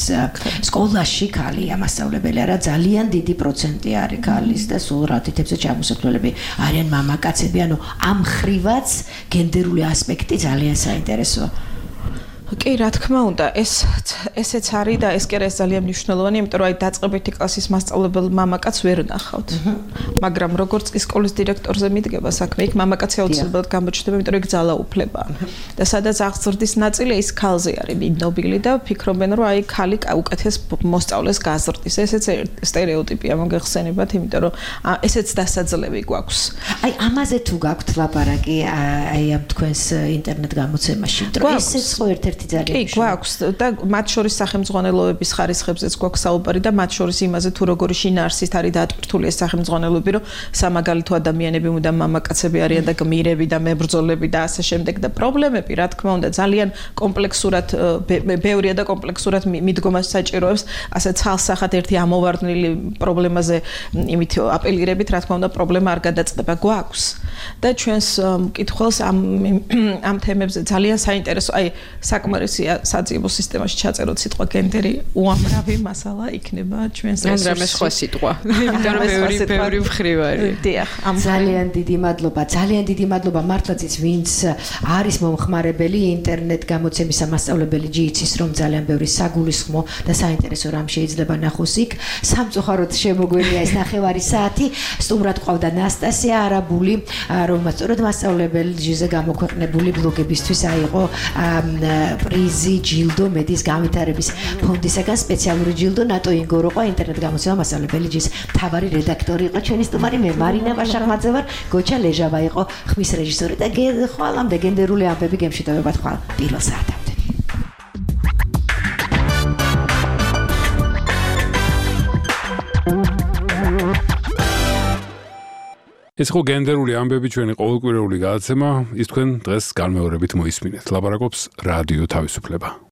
სკოლაში ქალია მასწავლებელი, არა ძალიან დიდი პროცენტი არის ქალის და სულ რა თითებზე ჩამოსახლებლები არიან მამაკაცები, ანუ ამ ხრივაც გენდერული ასპექტი ძალიან საინტერესოა. კი, რა თქმა უნდა, ეს ესეც არის და ეს კი არის ძალიან მნიშვნელოვანი, იმიტომ რომ აი დაწყებითი კლასის მასწავლებელ მამაკაცს ვერ ნახავთ. მაგრამ როგორც კი სკოლის დირექტორზე მიდგება საქმე, იქ მამაკაცი აუცილებლად გამოჩნდება, იმიტომ რომ იქ ძალაუფლებაა. და სადაც აღზრდის ნაწილი ის ქალზე არის ნობილი და ფიქრობენ, რომ აი ქალი უკეთეს მოსწავლეს გაზრდის. ესეც სტერეოტიპია მოგეხსენებათ, იმიტომ რომ ესეც დასაძლევი გვაქვს. აი ამაზე თუ გაქვთ ლაპარაკი აი ამ თქვენს ინტერნეტ გამოცემაში, რომ ესეც ხო ერთ-ერთი კი, გვაქვს და მათ შორის სახელმძღვანელოების ხარისხებზეც გვაქვს საუბარი და მათ შორის იმაზე თუ როგორი შინაარსით არის დატვირთული ეს სახელმძღვანელოები, რომ სამაგალითო ადამიანები უნდა მამაკაცები არიან და გმირები და მებრძოლები და ასე შემდეგ და პრობლემები, რა თქმა უნდა, ძალიან კომპლექსურად ბევრია და კომპლექსურად მიდგომას საჭიროებს, ასე ცალსახად ერთი ამოვარდნილი პრობლემაზე იმით აპელირებით, რა თქმა უნდა, პრობლემა არ გადაწყდება, გვაქვს. და ჩვენს მკითხველს ამ ამ თემებზე ძალიან საინტერესო, აი საკმაოდ საკმარისი საძიებო სისტემაში ჩაწეროთ სიტყვა გენდერი უამრავი მასალა იქნება ჩვენს რესურსში. ან სხვა სიტყვა. იმიტომ რომ ბევრი ბევრი მხრივ არის. დიახ, ამ ძალიან დიდი მადლობა, ძალიან დიდი მადლობა მართლაც ვინც არის მომხმარებელი ინტერნეტ გამოცემის მასწავლებელი ჯი-იცის რომ ძალიან ბევრი საგულისხმო და საინტერესო რამ შეიძლება ნახოს იქ. სამწუხაროდ შემოგვენია ეს ნახევარი საათი. სტუმრად ყავდა ნასტასია არაბული, რომელმაც სწორედ მასწავლებელი ჯი-ზე გამოქვეყნებული ბლოგებისთვის აიღო პრიზი ჯილდო მედის განვითარების ფონდისაგან სპეციალური ჯილდო. ნატო ინგოროყვა ინტერნეტ გამოცემა მასწავლებელი ჯის მთავარი რედაქტორი იყო ჩვენი სტუმარი, მე მარინა ვაშახმაძე ვარ, გოჩა ლეჟავა იყო ხმის რეჟისორი და ხვალამდე გენდერული ამბები გემშვიდობებად ხვალ პირველ საათამდე. ეს ხო გენდერული ამბები ჩვენი ყოველკვირეული გადაცემა, ის თქვენ დღეს განმეორებით მოისმინეთ. ლაპარაკობს რადიო თავისუფლება.